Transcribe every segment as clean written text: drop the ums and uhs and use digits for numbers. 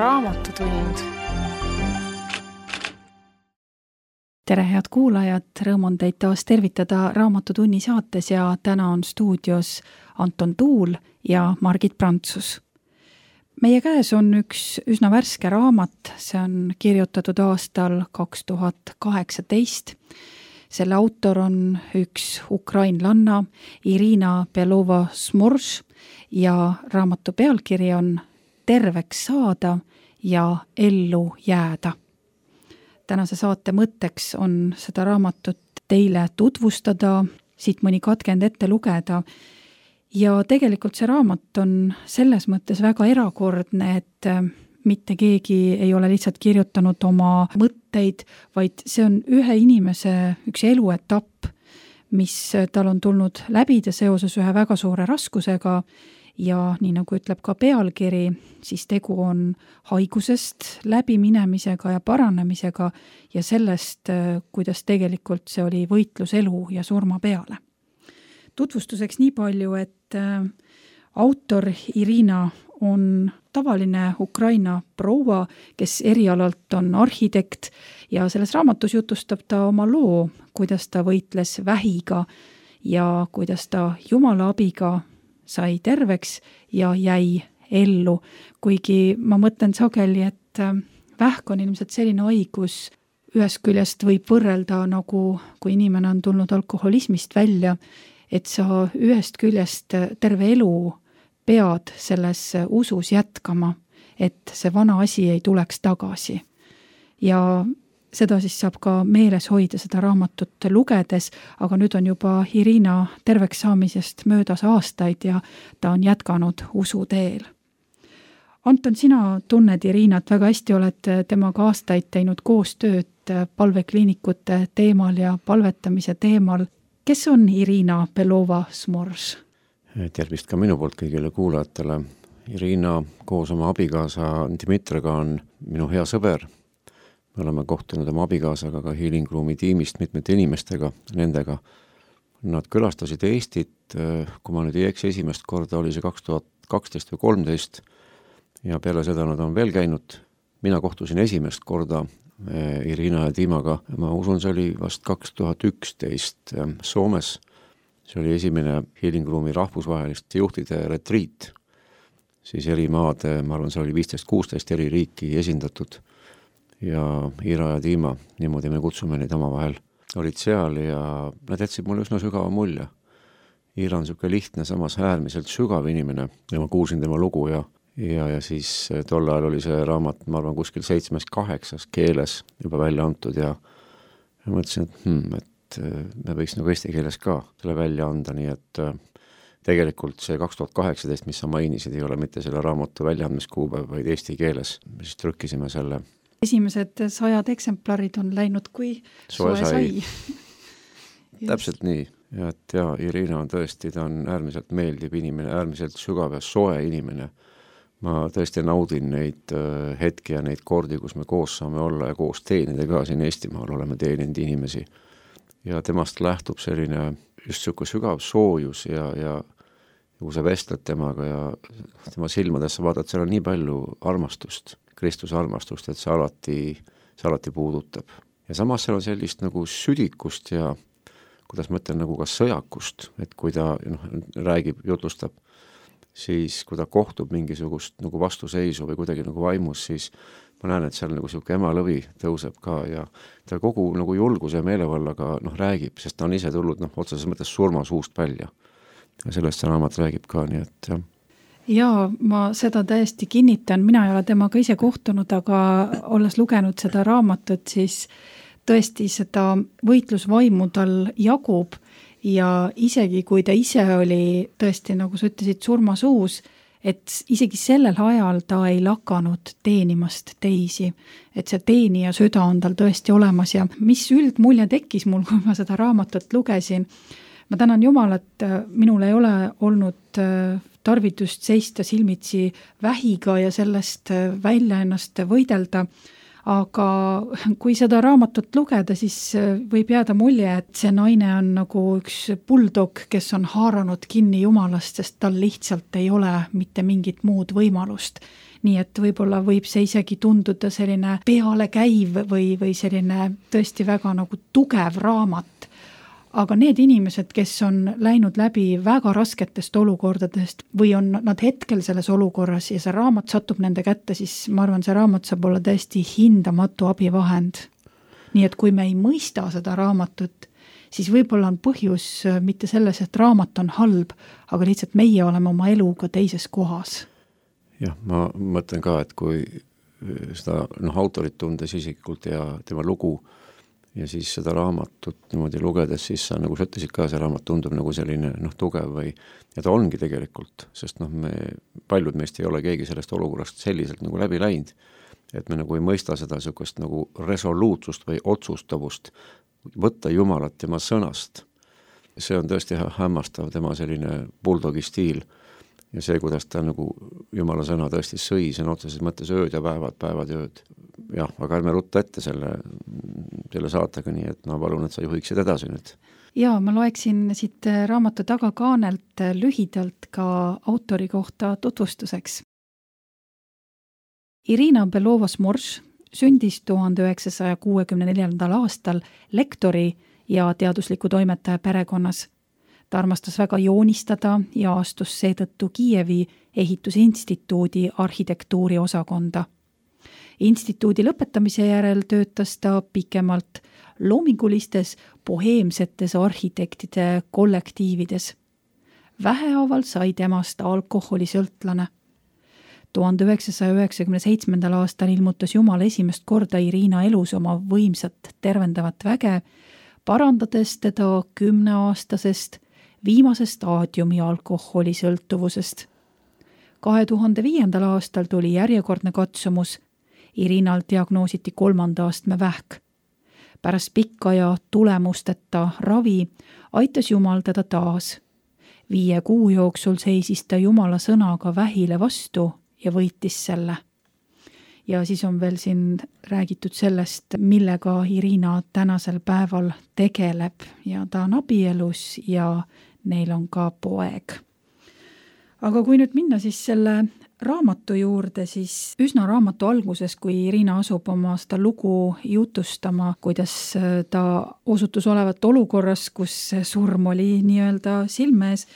Raamatutund. Tere, head kuulajad! Rõõm on teid taas tervitada Raamatutunni saates ja täna on stuudios Anton Tuul ja Margit Prantsus. Meie käes on üks üsna värske raamat, see on kirjutatud aastal 2018. Selle autor on üks ukrainlanna Irina Belova-Smorž ja raamatu pealkiri on Terveks saada ja ellu jääda. Tänase saate mõtteks on seda raamatut teile tutvustada, siit mõni katkend ette lugeda. Ja tegelikult see raamat on selles mõttes väga erakordne, et mitte keegi ei ole lihtsalt kirjutanud oma mõtteid, vaid see on ühe inimese üks eluetapp, mis tal on tulnud läbida seoses ühe väga suure raskusega. Ja nii nagu ütleb ka pealkiri, siis tegu on haigusest läbiminemisega ja paranemisega ja sellest, kuidas tegelikult see oli võitlus elu ja surma peale. Tutvustuseks nii palju, et autor Irina on tavaline Ukraina proua, kes erialalt on arhitekt ja selles raamatus jutustab ta oma loo, kuidas ta võitles vähiga ja kuidas ta Jumala abiga sai terveks ja jäi ellu, kuigi ma mõtlen sageli, et vähk on ilmselt selline haigus, ühest küljest võib võrrelda nagu, kui inimene on tulnud alkoholismist välja, et sa ühest küljest terve elu pead selles usus jätkama, et see vana asi ei tuleks tagasi. Ja seda siis saab ka meeles hoida seda raamatut lugedes, aga nüüd on juba Irina terveks saamisest möödas aastaid ja ta on jätkanud usuteel. Anton, sina tunned Irinat väga hästi, oled temaga aastaid teinud koostööd palvekliinikute teemal ja palvetamise teemal. Kes on Irina Belova-Smorž? Tervist ka minu poolt kõigile kuulajatele. Irina koos oma abikaasa Dmitriga on minu hea sõber. Me oleme kohtunud oma abikaasaga ka Healing Roomi tiimist mitmete inimestega, nendega. Nad külastasid Eestit, kui ma nüüd ei eksi, esimest korda oli see 2012 või 2013 ja peale seda nad on veel käinud. Mina kohtusin esimest korda Irina ja Tiimaga. Ma usun, see oli vast 2011 Soomes. See oli esimene Healing Roomi rahvusvaheliste juhtide retriit. Siis eri maade, ma arvan, see oli 15-16 eri riiki esindatud. Ja Ira ja Tiima, niimoodi me kutsume neid omavahel, olid seal ja nad jätsid mulle üsna sügava mulje. Ira on selline lihtne, samas äärmiselt sügav inimene ja ma kuulsin tema lugu ja siis tol ajal oli see raamat, ma arvan, kuskil 7-8 keeles juba välja antud ja mõtlesin, et me võiks nagu eesti keeles ka selle välja anda, nii et tegelikult see 2018, mis sa mainisid, ei ole mitte selle raamatu väljaandmiskuupäev, vaid eesti keeles. Me siis trükkisime selle. Esimesed 100 eksemplarid on läinud, kui soe sai. Täpselt nii. Ja Irina on tõesti, ta on äärmiselt meeldiv inimene, äärmiselt sügav ja soe inimene. Ma tõesti naudin neid hetki ja neid kordi, kus me koos saame olla ja koos teenida ka siin Eestimaal oleme teeninud inimesi. Ja temast lähtub selline just selline sügav soojus ja kui sa vestled temaga ja tema silmadesse vaatad, seal on nii palju armastust, Kristuse armastust, et see alati puudutab. Ja samas seal on sellist nagu südikust ja kuidas ma ütlen nagu ka sõjakust, et kui ta räägib, jutlustab, siis kui ta kohtub mingisugust nagu vastuseisu või kuidagi nagu vaimus, siis ma näen, et seal nagu selline emalõvi tõuseb ka ja ta kogu nagu julguse ja meelevallaga räägib, sest ta on ise tulnud otseses mõttes surmasuust välja. Ja sellest see raamat räägib ka, nii et jah. Jaa, ma seda täiesti kinnitan, mina ei ole temaga ise kohtunud, aga olles lugenud seda raamatut, siis tõesti seda võitlusvaimu tal jagub ja isegi kui ta ise oli tõesti, nagu sa ütlesid, surmasuus, et isegi sellel ajal ta ei lakanud teenimast teisi, et see teenija süda on tal tõesti olemas ja mis üldmulje tekkis mul, kui ma seda raamatut lugesin. Ma tänan Jumalat, minul ei ole olnud tarvidust seista silmitsi vähiga ja sellest välja ennast võidelda, aga kui seda raamatut lugeda, siis võib jääda mulje, et see naine on nagu üks bulldog, kes on haaranud kinni Jumalast, sest tal lihtsalt ei ole mitte mingit muud võimalust. nii et võib-olla võib see isegi tunduda selline pealekäiv või selline tõesti väga nagu tugev raamat. Aga need inimesed, kes on läinud läbi väga rasketest olukordadest või on nad hetkel selles olukorras ja see raamat satub nende kätte, siis ma arvan, see raamat saab olla täiesti hindamatu abivahend. Nii et kui me ei mõista seda raamatut, siis võib-olla on põhjus mitte selles, et raamat on halb, aga lihtsalt meie oleme oma eluga teises kohas. Jah, ma mõtlen ka, et kui seda autorit tundes isiklikult ja tema lugu ja siis seda raamatut niimoodi lugedes, siis sa nagu sa ütlesid ka, see raamat tundub nagu selline tugev või ja ta ongi tegelikult, sest paljud meist ei ole keegi sellest olukorrast selliselt nagu läbi läinud, et me nagu ei mõista seda niisugust nagu resoluutsust või otsustavust võtta Jumalat tema sõnast. See on tõesti hämmastav, tema selline bulldogi stiil ja see, kuidas ta nagu Jumala sõna tõesti sõi, see on otseses mõttes ööd ja päevad ja ööd. Jah, aga ärme rutta ette selle saatega, nii et ma palun, et sa juhiksid edasi nüüd. Ja ma loeksin siit raamatu tagakaanelt lühidalt ka autori kohta tutvustuseks. Irina Belovas-Morš sündis 1964. aastal lektori ja teadusliku toimetaja perekonnas. Ta armastas väga joonistada ja astus seetõttu Kiievi ehitusinstituudi arhitektuuri osakonda. Instituudi lõpetamise järel töötas ta pikemalt loomingulistes boheemsetes arhitektide kollektiivides. Vähehaaval sai temast alkoholisõltlane. 1997. aastal ilmutas Jumal esimest korda Irina elus oma võimsat tervendavat väge, parandades teda 10-aastasest viimase staadiumi alkoholisõltuvusest. 2005. aastal tuli järjekordne katsumus. Irinal diagnoositi 3. astme vähk. Pärast pikka ja tulemusteta ravi aitas Jumal teda taas. 5 kuu jooksul seisis ta Jumala sõnaga vähile vastu ja võitis selle. Ja siis on veel siin räägitud sellest, millega Irina tänasel päeval tegeleb ja ta on abielus ja neil on ka poeg. Aga kui nüüd minna siis selle raamatu juurde, siis üsna raamatu alguses, kui Irina asub oma seda lugu jutustama, kuidas ta osutus olevat olukorras, kus surm oli nii-öelda silmes,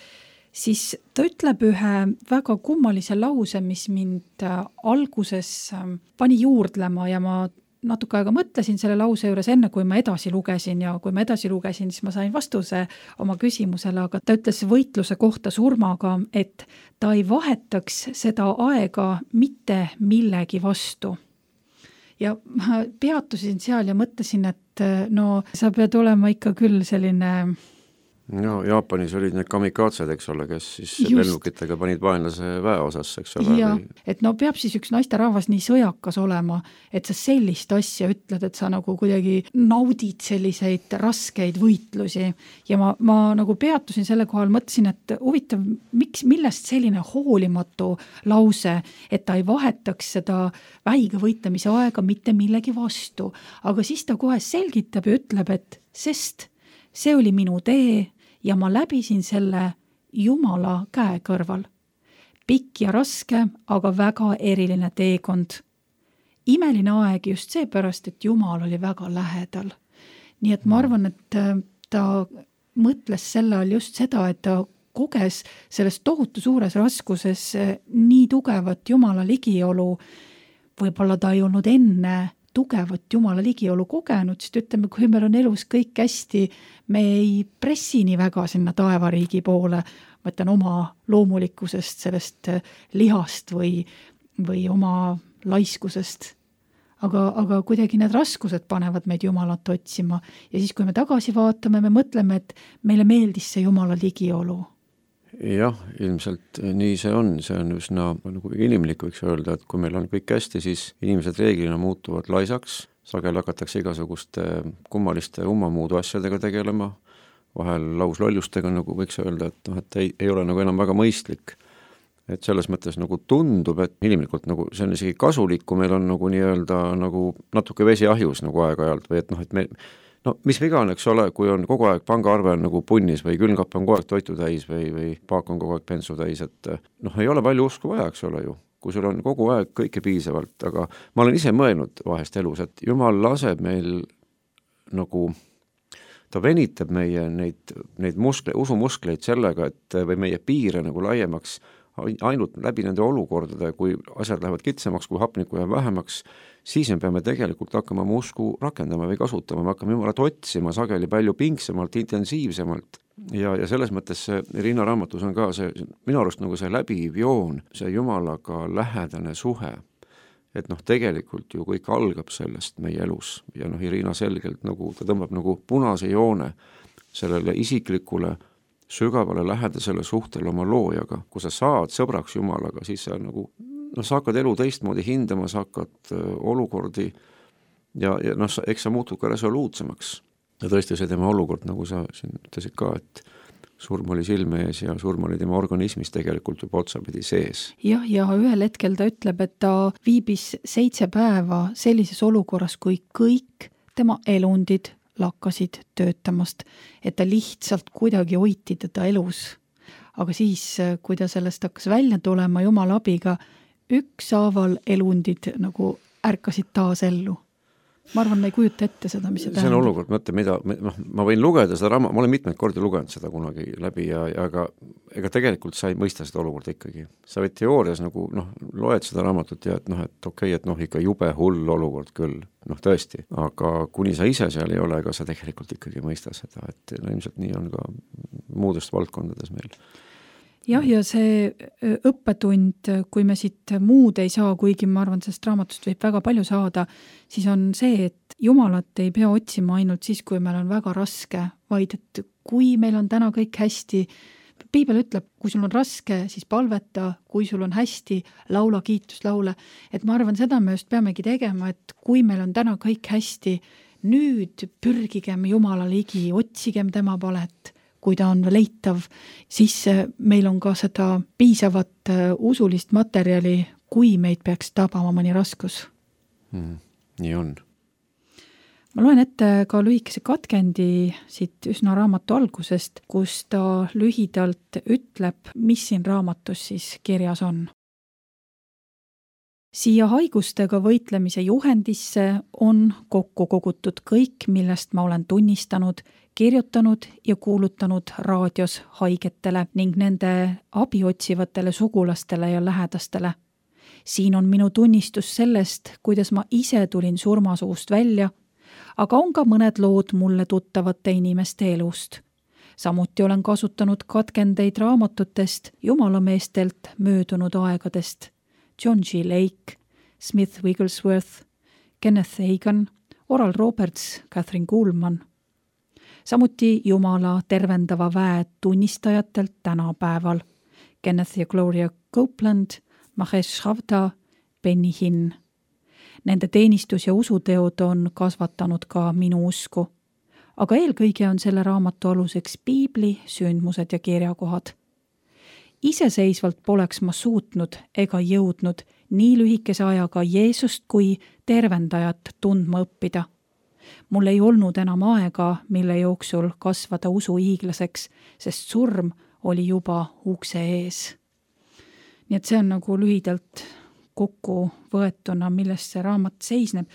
siis ta ütleb ühe väga kummalise lause, mis mind alguses pani juurdlema ja ma natuke aega mõtlesin selle lause juures enne, kui ma edasi lugesin ja kui ma edasi lugesin, siis ma sain vastuse oma küsimusele, aga ta ütles võitluse kohta surmaga, et ta ei vahetaks seda aega mitte millegi vastu. Ja ma peatusin seal ja mõtlesin, et no sa pead olema ikka küll selline... No Jaapanis olid need kamikaatsed, eks ole, kes siis lennukitega panid vaenlase väeosas, eks ole. Ja, et no peab siis üks naisterahvas nii sõjakas olema, et sa sellist asja ütled, et sa nagu kuidagi naudid selliseid raskeid võitlusi. Ja ma nagu peatusin selle kohal, mõtlesin, et huvitav, millest selline hoolimatu lause, et ta ei vahetaks seda vähiga võitlemise aega mitte millegi vastu. Aga siis ta kohe selgitab ja ütleb, et sest see oli minu tee, ja ma läbisin selle Jumala käe kõrval. Pikk ja raske, aga väga eriline teekond. Imeline aeg just seepärast, et Jumal oli väga lähedal. Nii et ma arvan, et ta mõtles selle all just seda, et ta koges selles tohutu suures raskuses nii tugevat Jumala ligiolu. Võib-olla ta ei olnud enne tugevat Jumala ligiolu kogenud, sest ütleme, kui meil on elus kõik hästi, me ei pressi nii väga sinna taevariigi poole, ma ütlen oma loomulikkusest, sellest lihast või oma laiskusest. Aga kuidagi need raskused panevad meid Jumalat otsima ja siis, kui me tagasi vaatame, me mõtleme, et meile meeldis see Jumala ligiolu. Jah, ilmselt nii see on üsna nagu inimlik, võiks öelda, et kui meil on kõik hästi, siis inimesed reeglina muutuvad laisaks, sagel hakatakse igasuguste kummaliste ummamuudu asjadega tegelema, vahel lauslollustega, nagu võiks öelda, et ei ole nagu enam väga mõistlik. Et selles mõttes nagu tundub, et inimlikult nagu see on isegi kasulik, kui meil on nagu nii-öelda nagu natuke vesi ahjus nagu aeg-ajalt või et me mis viga on, eks ole, kui on kogu aeg pangaarve on nagu punnis või külmkapp on kogu aeg toitu täis või paak on kogu aeg pensu täis, et ei ole palju usku vaja, eks ole ju. kui sul on kogu aeg kõike piisavalt, aga ma olen ise mõelnud vahest elus, et Jumal laseb meil nagu, ta venitab meie neid usumuskleid sellega, et või meie piire nagu laiemaks ainult läbi nende olukordade, kui asjad lähevad kitsamaks, kui hapnikku jääb vähemaks, siis me peame tegelikult hakkama oma usku rakendama või kasutama, me hakkame Jumalat otsima sageli palju pingsemalt, intensiivsemalt ja selles mõttes see Riina raamatus on ka see, minu arust nagu see läbiv joon, see Jumalaga lähedane suhe, et tegelikult ju kõik algab sellest meie elus ja Irina selgelt nagu, ta tõmbab nagu punase joone sellele isiklikule sügavale lähedasele suhtele oma loojaga, kui sa saad sõbraks Jumalaga, siis sa nagu, sa hakkad elu teistmoodi hindama, sa hakkad olukordi ja eks sa muutud ka resoluutsemaks. Ja tõesti see tema olukord, nagu sa siin ütlesid ka, et surm oli silme ees ja surm oli tema organismis tegelikult juba otsapidi sees. Ja ühel hetkel ta ütleb, et ta viibis 7 päeva sellises olukorras, kui kõik tema elundid lakkasid töötamast, et ta lihtsalt kuidagi hoiti teda elus. Aga siis, kui ta sellest hakkas välja tulema Jumala abiga, ükshaaval elundid nagu ärkasid taas ellu. Ma arvan, ma ei kujuta ette seda, mis see tähendab. See on olukord, ma võin lugeda seda ma olen mitmeid kordi lugenud seda kunagi läbi ja ega tegelikult sa ei mõista seda olukorda ikkagi. Sa võid teoorias nagu, loed seda raamatut ja et okei, et ikka jube hull olukord küll, tõesti, aga kuni sa ise seal ei ole, ega sa tegelikult ikkagi ei mõista seda, et ilmselt nii on ka muudest valdkondades meil. Ja see õppetund, kui me siit muud ei saa, kuigi ma arvan, sellest raamatust võib väga palju saada, siis on see, et Jumalat ei pea otsima ainult siis, kui meil on väga raske, vaid et kui meil on täna kõik hästi, Piibel ütleb, kui sul on raske, siis palveta, kui sul on hästi, laula kiituslaule. Et ma arvan, seda me just peamegi tegema, et kui meil on täna kõik hästi, nüüd pürgigem Jumala ligi, otsigem tema palet. Kui ta on leitav, siis meil on ka seda piisavat usulist materjali, kui meid peaks tabama mõni raskus. Nii on. Ma loen ette ka lühikese katkendi siit üsna raamatu algusest, kus ta lühidalt ütleb, mis siin raamatus siis kirjas on. Siia haigustega võitlemise juhendisse on kokku kogutud kõik, millest ma olen tunnistanud, kirjutanud ja kuulutanud raadios haigetele ning nende abi otsivatele sugulastele ja lähedastele. Siin on minu tunnistus sellest, kuidas ma ise tulin surmasuust välja, aga on ka mõned lood mulle tuttavate inimeste elust. Samuti olen kasutanud katkendeid raamatutest jumalameestelt möödunud aegadest. John G. Lake, Smith Wigglesworth, Kenneth Hagin, Oral Roberts, Catherine Kuhlman. Samuti Jumala tervendava väe tunnistajatelt tänapäeval. Kenneth ja Gloria Copeland, Mahesh Chavda, Benny Hinn. Nende teenistus ja usuteod on kasvatanud ka minu usku. Aga eelkõige on selle raamatu aluseks Piibli, sündmused ja kirjakohad. Iseseisvalt poleks ma suutnud ega jõudnud nii lühikese ajaga Jeesust kui tervendajat tundma õppida. Mul ei olnud enam aega, mille jooksul kasvada usu hiiglaseks, sest surm oli juba ukse ees. Nii et see on nagu lühidalt kokku võetuna, millest see raamat seisneb.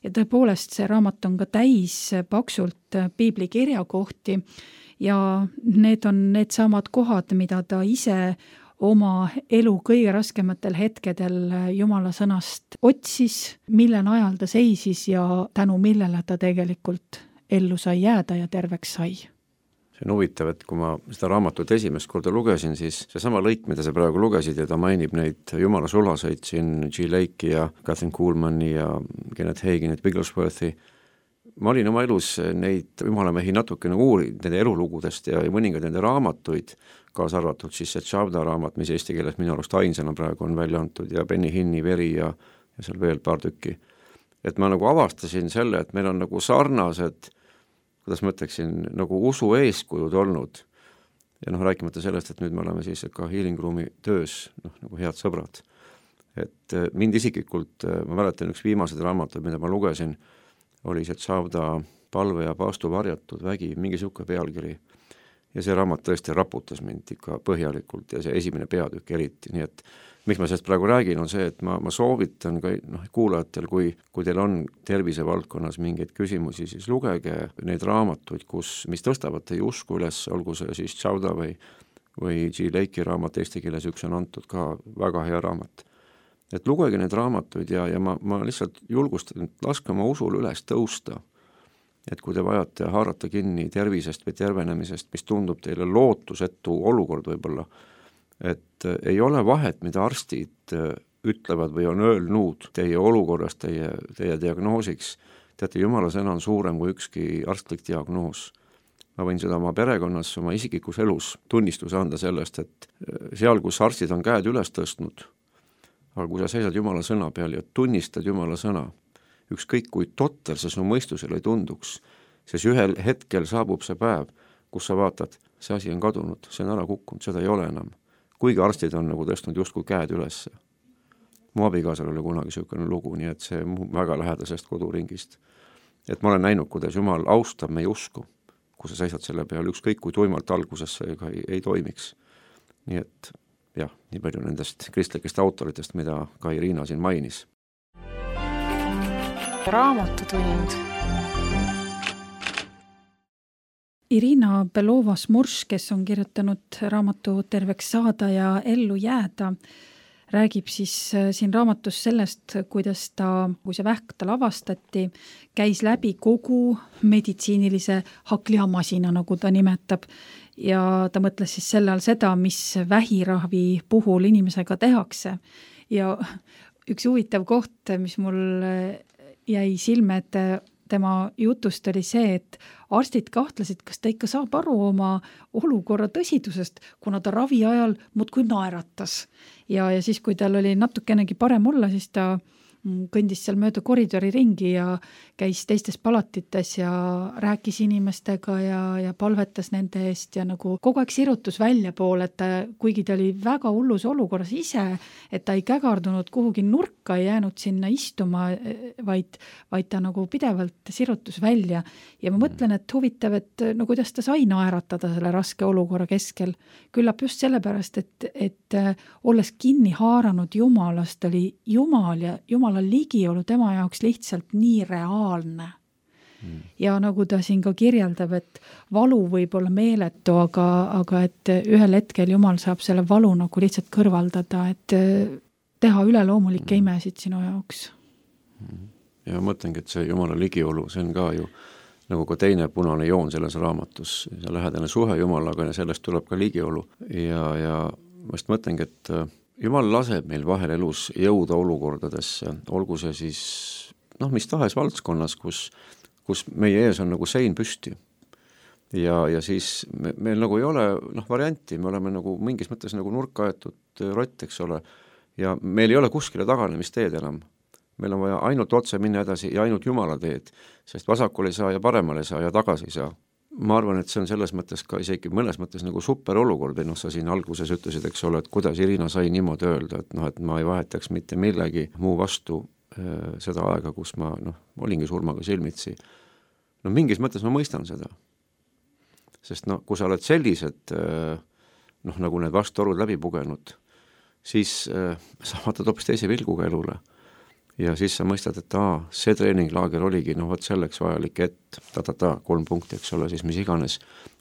Ja tõepoolest see raamat on ka täis paksult Piibli kirjakohti ja need on need samad kohad, mida ta ise oma elu kõige raskematel hetkedel Jumala sõnast otsis, mille najal ta seisis ja tänu millele ta tegelikult ellu sai jääda ja terveks sai. See on huvitav, et kui ma seda raamatut esimest korda lugesin, siis see sama lõik, mida sa praegu lugesid ja ta mainib neid Jumala sulaseid siin G. Lake'i ja Catherine Kuhlmani ja Kenneth Haginit, Wigglesworthi. Ma olin oma elus neid jumalamehi natukene uurinud nende elulugudest ja mõningad nende raamatuid, kaasa arvatud siis see Chavda raamat, mis eesti keeles minu arust ainsana praegu on välja antud ja Benny Hinni Veri ja seal veel paar tükki. Et ma nagu avastasin selle, et meil on nagu sarnased, kuidas ma ütleksin, nagu usu eeskujud olnud. Ja rääkimata sellest, et nüüd me oleme siis ka Healing Roomi töös nagu head sõbrad. Et mind isiklikult, ma mäletan üks viimased raamatud, mida ma lugesin, oli see Chavda palve ja paastu varjatud vägi, mingi siuke pealkiri. ja see raamat tõesti raputas mind ikka põhjalikult ja see esimene peatükk eriti, nii et miks ma sellest praegu räägin, on see, et ma soovitan ka kuulajatel, kui teil on tervisevaldkonnas mingeid küsimusi, siis lugege neid raamatuid, mis tõstavad teie usku üles, olgu see siis Chauda või G. Lake'i raamat, eesti keeles üks on antud ka, väga hea raamat. Et lugege neid raamatuid ja ma lihtsalt julgustan, laske oma usul üles tõusta. Et kui te vajate haarata kinni tervisest või tervenemisest, mis tundub teile lootusetu olukord võib-olla, et ei ole vahet, mida arstid ütlevad või on öelnud teie olukorrast, teie diagnoosiks. Teate, Jumala sõna on suurem kui ükski arstlik diagnoos. Ma võin seda oma perekonnas, oma isiklikus elus tunnistuse anda sellest, et seal, kus arstid on käed üles tõstnud, aga kui sa seisad Jumala sõna peal ja tunnistad Jumala sõna, ükskõik kui totter see su mõistusele ei tunduks, siis ühel hetkel saabub see päev, kus sa vaatad, see asi on kadunud, see on ära kukkunud, seda ei ole enam. Kuigi arstid on nagu tõstnud justkui käed üles. Mu abikaasal oli kunagi selline lugu, nii et see väga lähedasest koduringist. Et ma olen näinud, kuidas Jumal austab meie usku, kui sa seisad selle peal, ükskõik kui tuimalt alguses see ei toimiks. Nii et jah, nii palju nendest kristlikest autoritest, mida ka Irina siin mainis. Raamatutund. Irina Belova-Smurš, kes on kirjutanud raamatu Terveks saada ja ellu jääda, räägib siis siin raamatus sellest, kuidas kui see vähk tal avastati, käis läbi kogu meditsiinilise hakklihamasina, nagu ta nimetab, ja ta mõtles siis selle all seda, mis vähiravi puhul inimesega tehakse. Ja üks huvitav koht, mis mul jäi silme, et tema jutust oli see, et arstid kahtlesid, kas ta ikka saab aru oma olukorra tõsidusest, kuna ta ravi ajal muudkui naeratas. Ja siis, kui tal oli natukenegi parem olla, siis ta kõndis seal mööda koridori ringi ja käis teistes palatites ja rääkis inimestega ja palvetas nende eest ja nagu kogu aeg sirutus välja poole, et kuigi ta oli väga hullus olukorras ise, et ta ei kägardunud kuhugi nurka, ei jäänud sinna istuma, vaid ta nagu pidevalt sirutus välja. Ja ma mõtlen, et huvitav, et no kuidas ta sai naeratada selle raske olukorra keskel. Küllap just sellepärast, et olles kinni haaranud Jumalast, oli Jumal ja Jumala ligiolu tema jaoks lihtsalt nii reaalne. Ja nagu ta siin ka kirjeldab, et valu võib olla meeletu, aga et ühel hetkel Jumal saab selle valu nagu lihtsalt kõrvaldada, et teha üleloomulikke imesid sinu jaoks. Ja ma mõtlengi, et see Jumala ligiolu, see on ka ju nagu ka teine punane joon selles raamatus, see lähedane suhe Jumalaga ja sellest tuleb ka ligiolu. Ja ma just mõtlengi, et Jumal laseb meil vahel elus jõuda olukordadesse, olgu see siis mis tahes valdskonnas, kus meie ees on nagu sein püsti. Ja siis meil nagu ei ole varianti, me oleme nagu mingis mõttes nagu nurka aetud rott, eks ole, ja meil ei ole kuskile taganemisteed enam. Meil on vaja ainult otse minna edasi ja ainult Jumala teed, sest vasakule ei saa ja paremale ei saa ja tagasi ei saa. Ma arvan, et see on selles mõttes ka isegi mõnes mõttes nagu super olukord, või sa siin alguses ütlesid, eks ole, et kuidas Irina sai niimoodi öelda, et ma ei vahetaks mitte millegi muu vastu seda aega, kus ma olingi surmaga silmitsi. Mingis mõttes ma mõistan seda. Sest kui sa oled sellised nagu need vastuolud läbi pugenud, siis sa vaatad hoopis teise vilguga elule. Ja siis sa mõistad, et see treeninglaager oligi, võt selleks vajalik, et 3 punkti, eks ole, siis mis iganes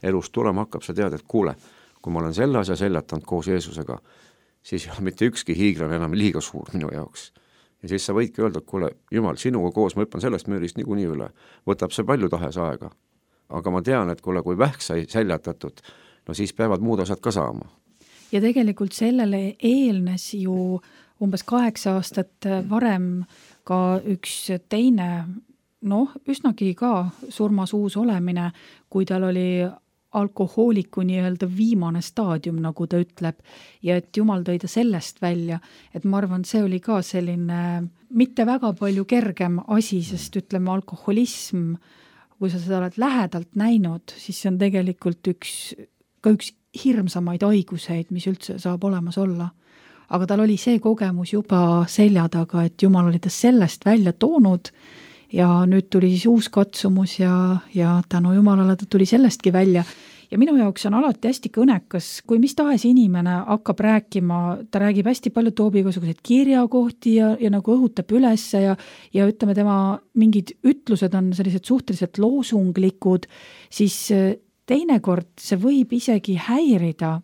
elus tulema hakkab, sa tead, et kuule, kui ma olen selle asja seljatanud koos Jeesusega, siis ei ole mitte ükski hiigran enam liiga suur minu jaoks. Ja siis sa võidki öelda, et kuule, Jumal, sinuga koos ma hüppan sellest müürist niikuinii üle, võtab see palju tahes aega. Aga ma tean, et kuule, kui vähk sai seljatatud, siis peavad muud asjad ka saama. Ja tegelikult sellele eelnes ju umbes 8 aastat varem ka üks teine, üsnagi ka surmas uus olemine, kui tal oli alkohooliku nii-öelda viimane staadium, nagu ta ütleb, ja et Jumal tõi ta sellest välja, et ma arvan, see oli ka selline mitte väga palju kergem asi, sest ütleme alkoholism, kui sa seda oled lähedalt näinud, siis see on tegelikult üks hirmsamaid haiguseid, mis üldse saab olemas olla. Aga tal oli see kogemus juba selja taga, et Jumal oli ta sellest välja toonud ja nüüd tuli siis uus katsumus ja tänu Jumalale ta tuli sellestki välja. Ja minu jaoks on alati hästi kõnekas, kui mis tahes inimene hakkab rääkima, ta räägib hästi palju, toob igasuguseid kirjakohti ja nagu õhutab üles ja ütleme, tema mingid ütlused on sellised suhteliselt loosunglikud, siis teinekord see võib isegi häirida,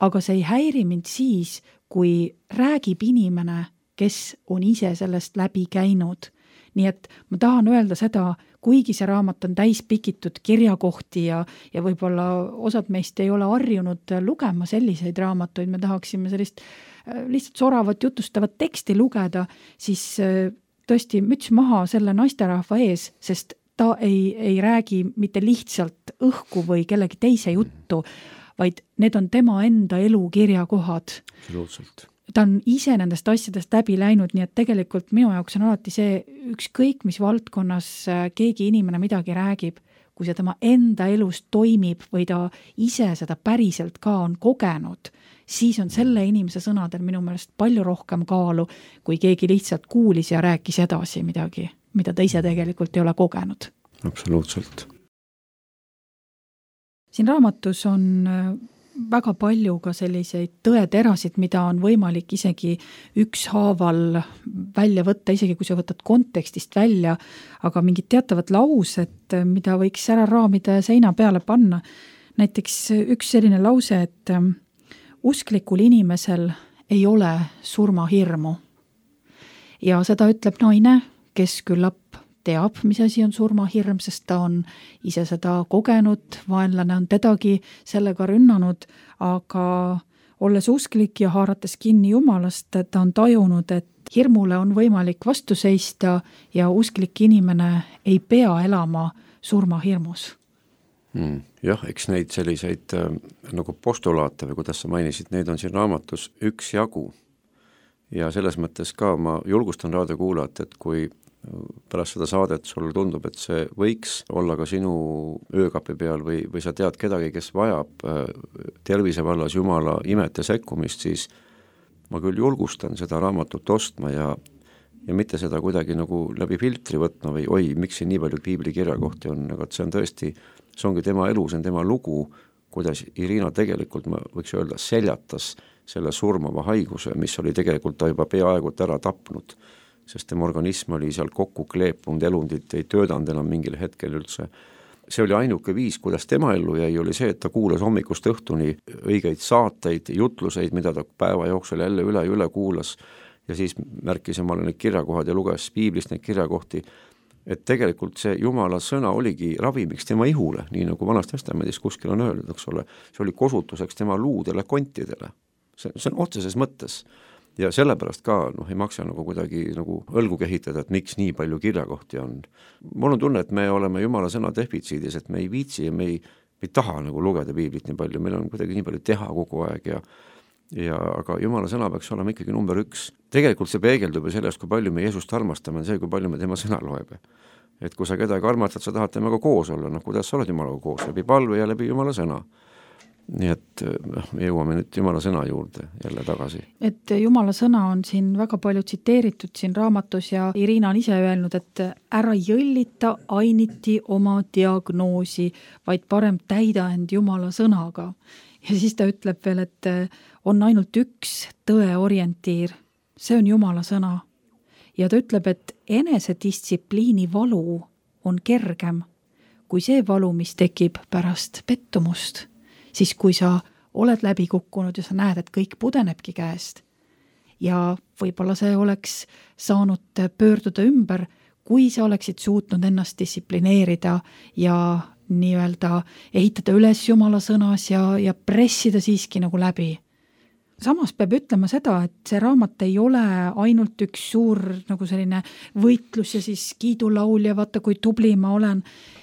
aga see ei häiri mind siis, kui räägib inimene, kes on ise sellest läbi käinud. Nii et ma tahan öelda seda, kuigi see raamat on täis pikitud kirjakohti ja võib-olla osad meist ei ole harjunud lugema selliseid raamatuid, me tahaksime sellist lihtsalt soravat jutustavat teksti lugeda, siis tõesti müts maha selle naisterahva ees, sest ta ei räägi mitte lihtsalt õhku või kellegi teise juttu, vaid need on tema enda elu kirjakohad. Absoluutselt. Ta on ise nendest asjadest läbi läinud, nii et tegelikult minu jaoks on alati see ükskõik, mis valdkonnas keegi inimene midagi räägib, kui see tema enda elus toimib või ta ise seda päriselt ka on kogenud, siis on selle inimese sõnadel minu meelest palju rohkem kaalu, kui keegi lihtsalt kuulis ja rääkis edasi midagi, mida ta ise tegelikult ei ole kogenud. Absoluutselt. Siin raamatus on väga palju ka selliseid tõeterasid, mida on võimalik isegi ükshaaval välja võtta, isegi kui sa võtad kontekstist välja, aga mingid teatavad laused, mida võiks ära raamida ja seina peale panna. Näiteks üks selline lause, et usklikul inimesel ei ole surmahirmu. Ja seda ütleb naine, kes küllap teab, mis asi on surmahirm, sest ta on ise seda kogenud, vaenlane on tedagi sellega rünnanud, aga olles usklik ja haarates kinni Jumalast, ta on tajunud, et hirmule on võimalik vastu seista ja usklik inimene ei pea elama surmahirmus. Jah, eks neid selliseid nagu postulaate või kuidas sa mainisid, neid on siin raamatus üks jagu. Ja selles mõttes ka ma julgustan raadiokuulajat, et kui pärast seda saadet sulle tundub, et see võiks olla ka sinu öökapi peal või sa tead kedagi, kes vajab tervise vallas Jumala imet ja sekkumist, siis ma küll julgustan seda raamatut ostma ja mitte seda kuidagi nagu läbi filtri võtma või oi, miks siin nii palju piibli kirjakohti on, aga see on tõesti, see ongi tema elu, see on tema lugu, kuidas Irina tegelikult, ma võiks öelda, seljatas selle surmava haiguse, mis oli tegelikult ta juba peaaegu ära tapnud, sest tema organism oli seal kokku kleepunud, elundid ei töödanud enam mingil hetkel üldse. See oli ainuke viis, kuidas tema ellu jäi, oli see, et ta kuulas hommikust õhtuni õigeid saateid, jutluseid, mida ta päeva jooksul jälle üle kuulas ja siis märkis omale need kirjakohad ja luges piiblist neid kirjakohti, et tegelikult see Jumala sõna oligi ravimiks tema ihule, nii nagu Vanas Testamendis kuskil on öeldud, eks ole, see oli kosutuseks tema luudele, kontidele. See on otseses mõttes. Ja sellepärast ka ei maksa nagu kuidagi nagu õlgu kehitada, et miks nii palju kirjakohti on. Mul on tunne, et me oleme Jumala sõna defitsiidis, et me ei viitsi ja me ei taha nagu lugeda piiblit nii palju, meil on kuidagi nii palju teha kogu aeg aga Jumala sõna peaks olema ikkagi number 1. Tegelikult see peegeldub ju sellest, kui palju me Jeesust armastame, see, kui palju me tema sõna loeb. Et kui sa kedagi armastad, sa tahad temaga koos olla, kuidas sa oled Jumalaga koos, läbi palve ja läbi Jumala sõna. Nii et me jõuame nüüd Jumala sõna juurde jälle tagasi. Et Jumala sõna on siin väga palju tsiteeritud siin raamatus ja Irina on ise öelnud, et ära jõllita ainiti oma diagnoosi, vaid parem täida end Jumala sõnaga. Ja siis ta ütleb veel, et on ainult üks tõe orientiir, see on Jumala sõna. Ja ta ütleb, et enesedistsipliini valu on kergem kui see valu, mis tekib pärast pettumust. Siis kui sa oled läbi kukkunud ja sa näed, et kõik pudenebki käest ja võib-olla see oleks saanud pöörduda ümber, kui sa oleksid suutnud ennast distsiplineerida ja nii-öelda ehitada üles Jumala sõnas ja pressida siiski nagu läbi. Samas peab ütlema seda, et see raamat ei ole ainult üks suur nagu selline võitlus ja siis kiidulaul ja vaata, kui tubli ma olen.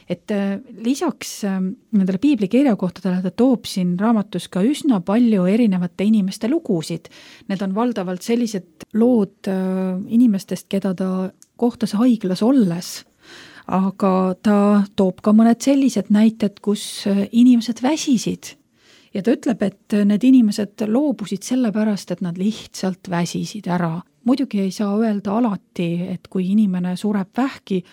Et lisaks nendele piibli kirjakohtadele ta toob siin raamatus ka üsna palju erinevate inimeste lugusid. Need on valdavalt sellised lood inimestest, keda ta kohtas haiglas olles. Aga ta toob ka mõned sellised näited, kus inimesed väsisid. Ja ta ütleb, et need inimesed loobusid sellepärast, et nad lihtsalt väsisid ära. muidugi ei saa öelda alati, et kui inimene sureb vähki,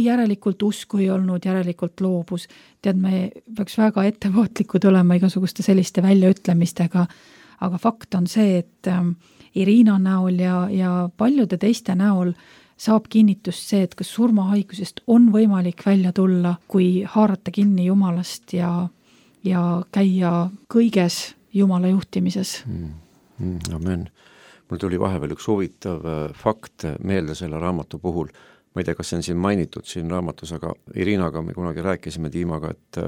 järelikult usku ei olnud, järelikult loobus. Tead, me peaks väga ettevaatlikud olema igasuguste selliste väljaütlemistega, aga fakt on see, et Irina näol ja paljude teiste näol saab kinnitust see, et kas surmahaigusest on võimalik välja tulla, kui haarata kinni Jumalast ja käia kõiges Jumala juhtimises. Amen. Mul tuli vahepeal üks huvitav fakt meelde selle raamatu puhul. Ma ei tea, kas see on siin mainitud siin raamatus, aga Irinaga me kunagi rääkisime Tiimaga, et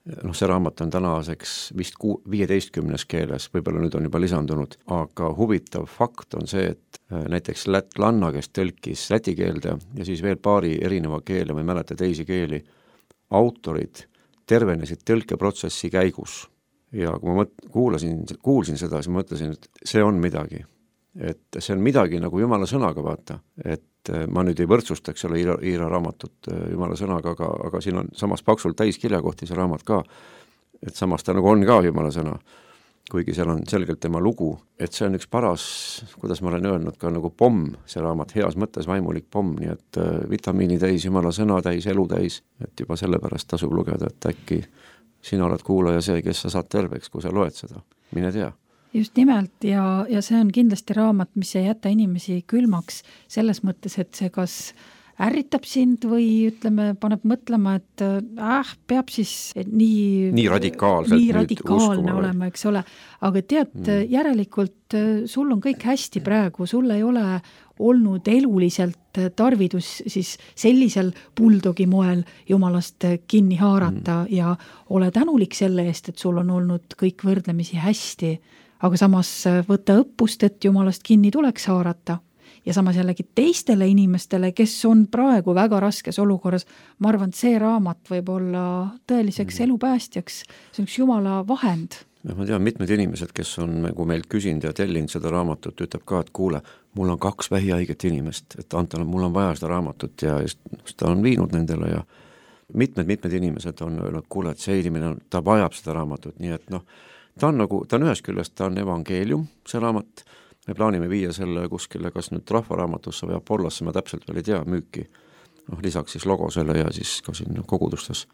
see raamat on tänaseks vist 15 keeles, võib-olla nüüd on juba lisandunud, aga huvitav fakt on see, et näiteks lätlanna, kes tõlkis läti keelde ja siis veel paari erineva keele, ma ei mäleta teisi keeli, autorid tervenesid tõlkeprotsessi käigus. Ja kui ma kuulsin seda, siis ma mõtlesin, et see on midagi. Et see on midagi nagu Jumala sõnaga, vaata. Et ma nüüd ei võrdsustaks selle Iira raamatut Jumala sõnaga, aga siin on samas paksult täis kirjakohti see raamat ka. Et samas ta nagu on ka Jumala sõna, kuigi seal on selgelt tema lugu. Et see on üks paras, kuidas ma olen öelnud, ka nagu pomm, see raamat, heas mõttes vaimulik pomm, nii et vitamiini täis, Jumala sõna täis, elu täis. Et juba sellepärast tasub lugeda, et äkki sina oled kuulaja see, kes sa saad terveks, kui sa loed seda. Mine tea. Just nimelt ja see on kindlasti raamat, mis ei jäta inimesi külmaks selles mõttes, et see kas ärritab sind või ütleme, paneb mõtlema, et peab siis nii radikaalne olema, eks ole. Aga tead, järelikult sul on kõik hästi praegu, sul ei ole olnud eluliselt tarvidus siis sellisel buldogi moel Jumalast kinni haarata ja ole tänulik selle eest, et sul on olnud kõik võrdlemisi hästi, aga samas võtta õppust, et Jumalast kinni tuleks haarata. Ja samas jällegi teistele inimestele, kes on praegu väga raskes olukorras, ma arvan, et see raamat võib olla tõeliseks elupäästjaks, see on üks Jumala vahend. Ma tean, mitmed inimesed, kes on nagu meilt küsinud ja tellinud seda raamatut, ütleb ka, et kuule, mul on 2 vähihaiget inimest, et Anton, mul on vaja seda raamatut ja ta on viinud nendele ja mitmed inimesed on öelnud, kuule, et see inimene, ta vajab seda raamatut, nii et ta on ühest küljest, ta on evangeelium, see raamat. Me plaanime viia selle kuskile, kas nüüd rahvaraamatusse või Apollosse, ma täpselt veel ei tea, müüki. Lisaks siis logosele ja siis ka siin kogudustes.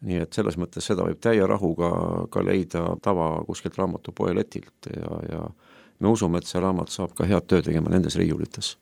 Nii et selles mõttes seda võib täie rahuga ka leida tava kuskilt raamatupoe letilt ja me usume, et see raamat saab ka head töö tegema nendes riiulites.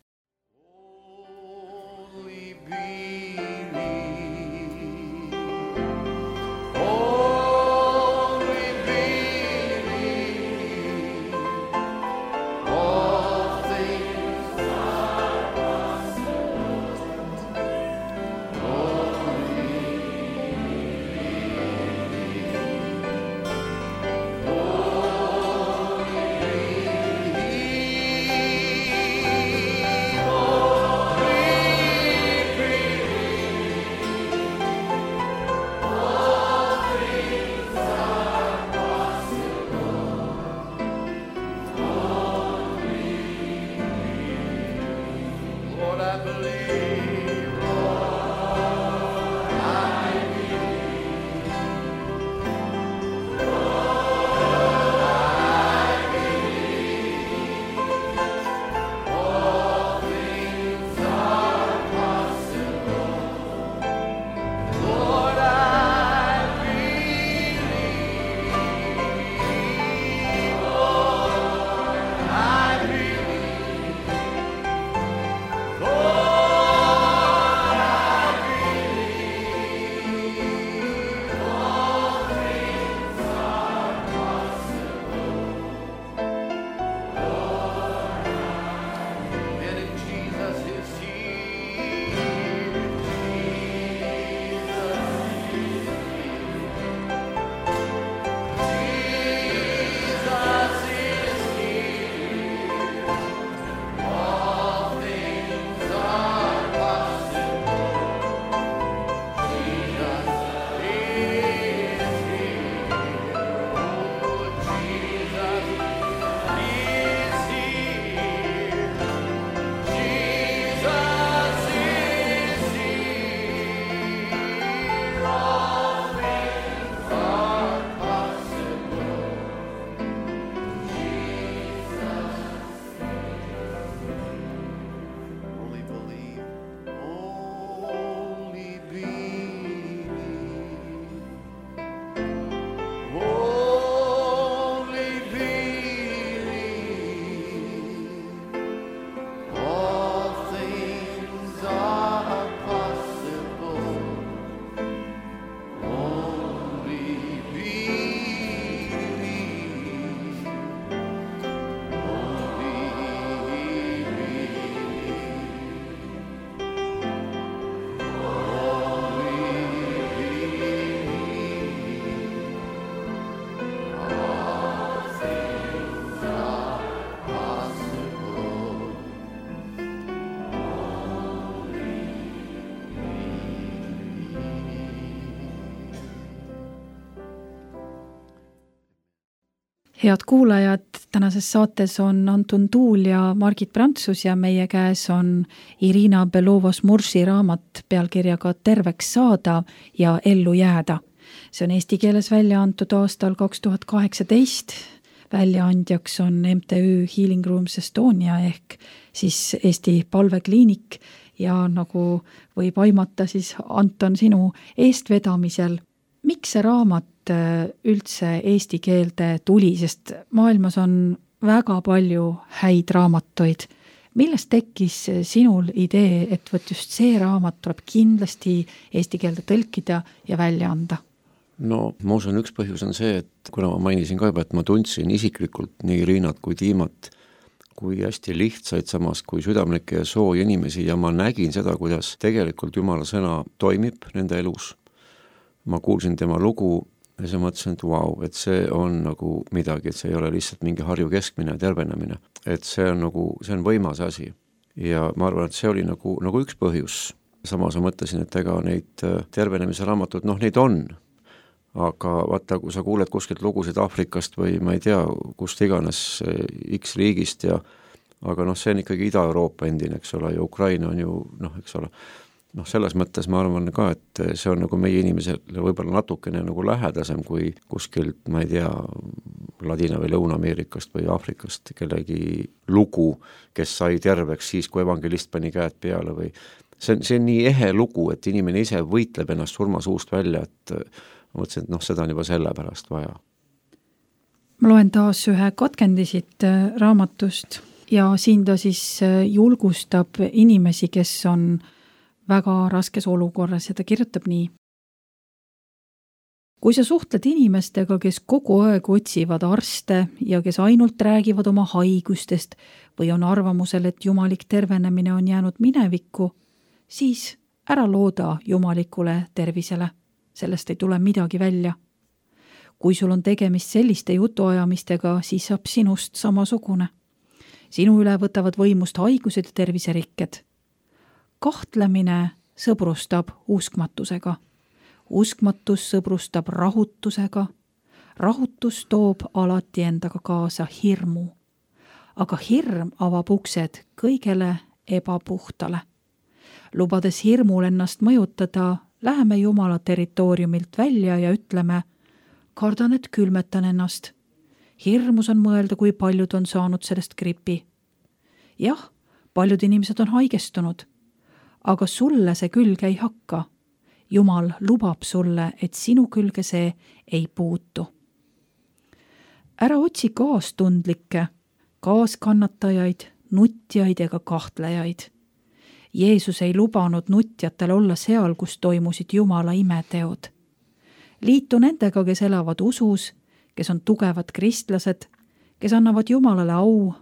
Head kuulajad, tänases saates on Anton Tuul ja Margit Prantsus ja meie käes on Irina Belovo-Smursi raamat pealkirjaga Terveks saada ja ellu jääda. See on eesti keeles välja antud aastal 2018. Väljaandjaks on MTÜ Healing Rooms Estonia ehk siis Eesti palvekliinik ja nagu võib aimata siis Anton sinu eestvedamisel. Miks see raamat üldse eesti keelde tuli, sest maailmas on väga palju häid raamatuid. Millest tekkis sinul idee, et võt just see raamat tuleb kindlasti eesti keelde tõlkida ja välja anda? No, ma usun, üks põhjus on see, et kuna ma mainisin ka juba, et ma tundsin isiklikult nii Riinat kui Tiimat kui hästi lihtsaid, samas kui südamlikke ja sooja inimesi ja ma nägin seda, kuidas tegelikult Jumala sõna toimib nende elus. Ma kuulsin tema lugu ja siis mõtlesin, et vau, et see on nagu midagi, et see ei ole lihtsalt mingi Harju keskmine tervenemine. Et see on võimas asi. Ja ma arvan, et see oli nagu üks põhjus. Samas ma mõtlesin, et ega neid tervenemise raamatud, neid on. Aga vaata, kui sa kuuled kuskilt lugusid Aafrikast või ma ei tea, kust iganes X riigist aga see on ikkagi Ida-Euroopa endine, eks ole, ja Ukraina on ju, eks ole, selles mõttes ma arvan ka, et see on nagu meie inimesele võib-olla natukene nagu lähedasem kui kuskilt, ma ei tea, Ladina- või Lõuna-Ameerikast või Aafrikast kellegi lugu, kes sai terveks siis, kui evangelist pani käed peale või see on nii ehe lugu, et inimene ise võitleb ennast surmasuust välja, et ma mõtlesin, et seda on juba selle pärast vaja. Ma loen taas ühe katkendi siit raamatust ja siin ta siis julgustab inimesi, kes on väga raskes olukorras ja ta kirjutab nii. Kui sa suhtled inimestega, kes kogu aeg otsivad arste ja kes ainult räägivad oma haigustest või on arvamusel, et jumalik tervenemine on jäänud minevikku, siis ära looda jumalikule tervisele. Sellest ei tule midagi välja. Kui sul on tegemist selliste jutuajamistega, siis saab sinust samasugune. Sinu üle võtavad võimust haigused ja terviserikked. Kahtlemine sõbrustab uskmatusega. Uskmatus sõbrustab rahutusega. Rahutus toob alati endaga kaasa hirmu. Aga hirm avab uksed kõigele ebapuhtale. Lubades hirmul ennast mõjutada, läheme Jumala territooriumilt välja ja ütleme, kardan, et külmetan ennast. Hirmus on mõelda, kui paljud on saanud sellest gripi. Jah, paljud inimesed on haigestunud, aga sulle see külge ei hakka. Jumal lubab sulle, et sinu külge see ei puutu. Ära otsi kaastundlikke, kaaskannatajaid, nutjaid ega kahtlejaid. Jeesus ei lubanud nutjatel olla seal, kus toimusid Jumala imeteod. Liitu nendega, kes elavad usus, kes on tugevad kristlased, kes annavad Jumalale au,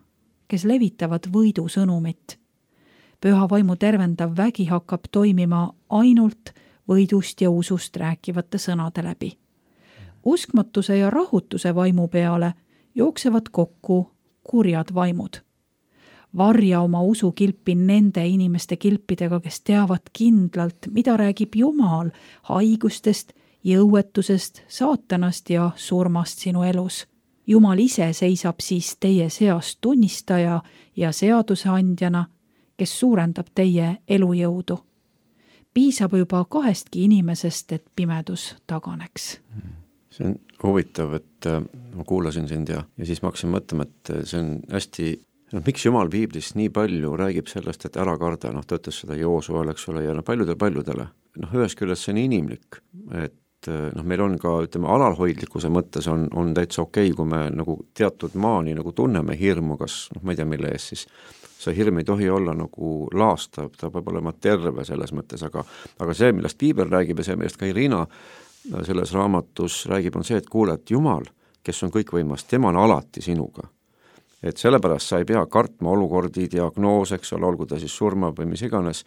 kes levitavad võidu sõnumit. Püha vaimu tervendav vägi hakkab toimima ainult võidust ja usust rääkivate sõnade läbi. Uskmatuse ja rahutuse vaimu peale jooksevad kokku kurjad vaimud. Varja oma usukilpi nende inimeste kilpidega, kes teavad kindlalt, mida räägib Jumal haigustest, jõuetusest, saatanast ja surmast sinu elus. Jumal ise seisab siis teie seas tunnistaja ja seaduseandjana, kes suurendab teie elujõudu. Piisab juba 2 inimesest, et pimedus taganeks. See on huvitav, et ma kuulasin sind ja siis ma hakkasin mõtlema, et see on hästi miks Jumal Piiblis nii palju räägib sellest, et ära karda, ta ütles seda Joosuale, eks ole, ja paljudele. Ühest küljest see on inimlik, et meil on ka, ütleme, alalhoidlikkuse mõttes on täitsa okei, kui me nagu teatud maani nagu tunneme hirmu, kas, ma ei tea, mille ees siis, see hirm ei tohi olla nagu laastav, ta peab olema terve selles mõttes, aga see, millest Piibel räägib ja see, millest ka Irina selles raamatus räägib, on see, et kuule, et Jumal, kes on kõikvõimas, tema on alati sinuga. Et sellepärast sa ei pea kartma olukordi, diagnoos, eks ole, olgu ta siis surma või mis iganes,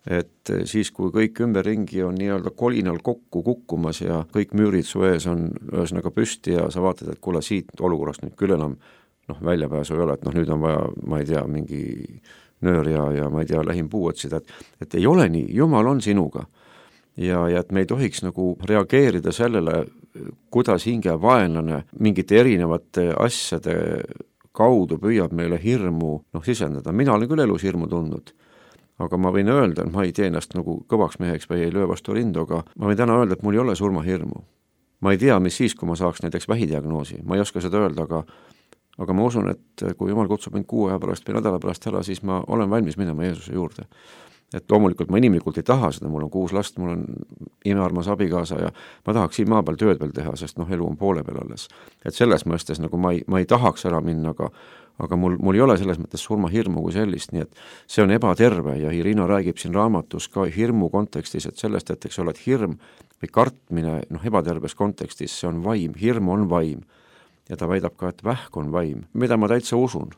et siis, kui kõik ümberringi on nii-öelda kolinal kokku kukkumas ja kõik müürid su ees on ühesõnaga püsti ja sa vaatad, et kuule siit olukorrast nüüd küll enam väljapääsu ei ole, et nüüd on vaja, ma ei tea, mingi nöör ja ma ei tea, lähim puu otsida, et ei ole nii, Jumal on sinuga. ja et me ei tohiks nagu reageerida sellele, kuidas hinge vaenlane mingite erinevate asjade kaudu püüab meile hirmu sisendada. Mina olen küll elus hirmu tundnud, aga ma võin öelda, ma ei tee ennast nagu kõvaks meheks või ei löö vastu rindu, aga ma võin täna öelda, et mul ei ole surmahirmu. Ma ei tea, mis siis, kui ma saaks näiteks vähidiagnoosi, ma ei oska seda öelda, aga ma usun, et kui Jumal kutsub mind 6 aja pärast või nädala pärast ära, siis ma olen valmis minema Jeesuse juurde. Et loomulikult ma inimlikult ei taha seda, mul on 6 last, mul on imearmas abikaasa ja ma tahaks siin maa peal tööd veel teha, sest elu on poole peal alles. Et selles mõistes nagu ma ei tahaks ära minna, aga mul ei ole selles mõttes surmahirmu kui sellist, nii et see on ebaterve ja Irina räägib siin raamatus ka hirmu kontekstis, et sellest, et eks ole, et hirm või kartmine ebaterves kontekstis, see on vaim, hirm on vaim ja ta väidab ka, et vähk on vaim, mida ma täitsa usun.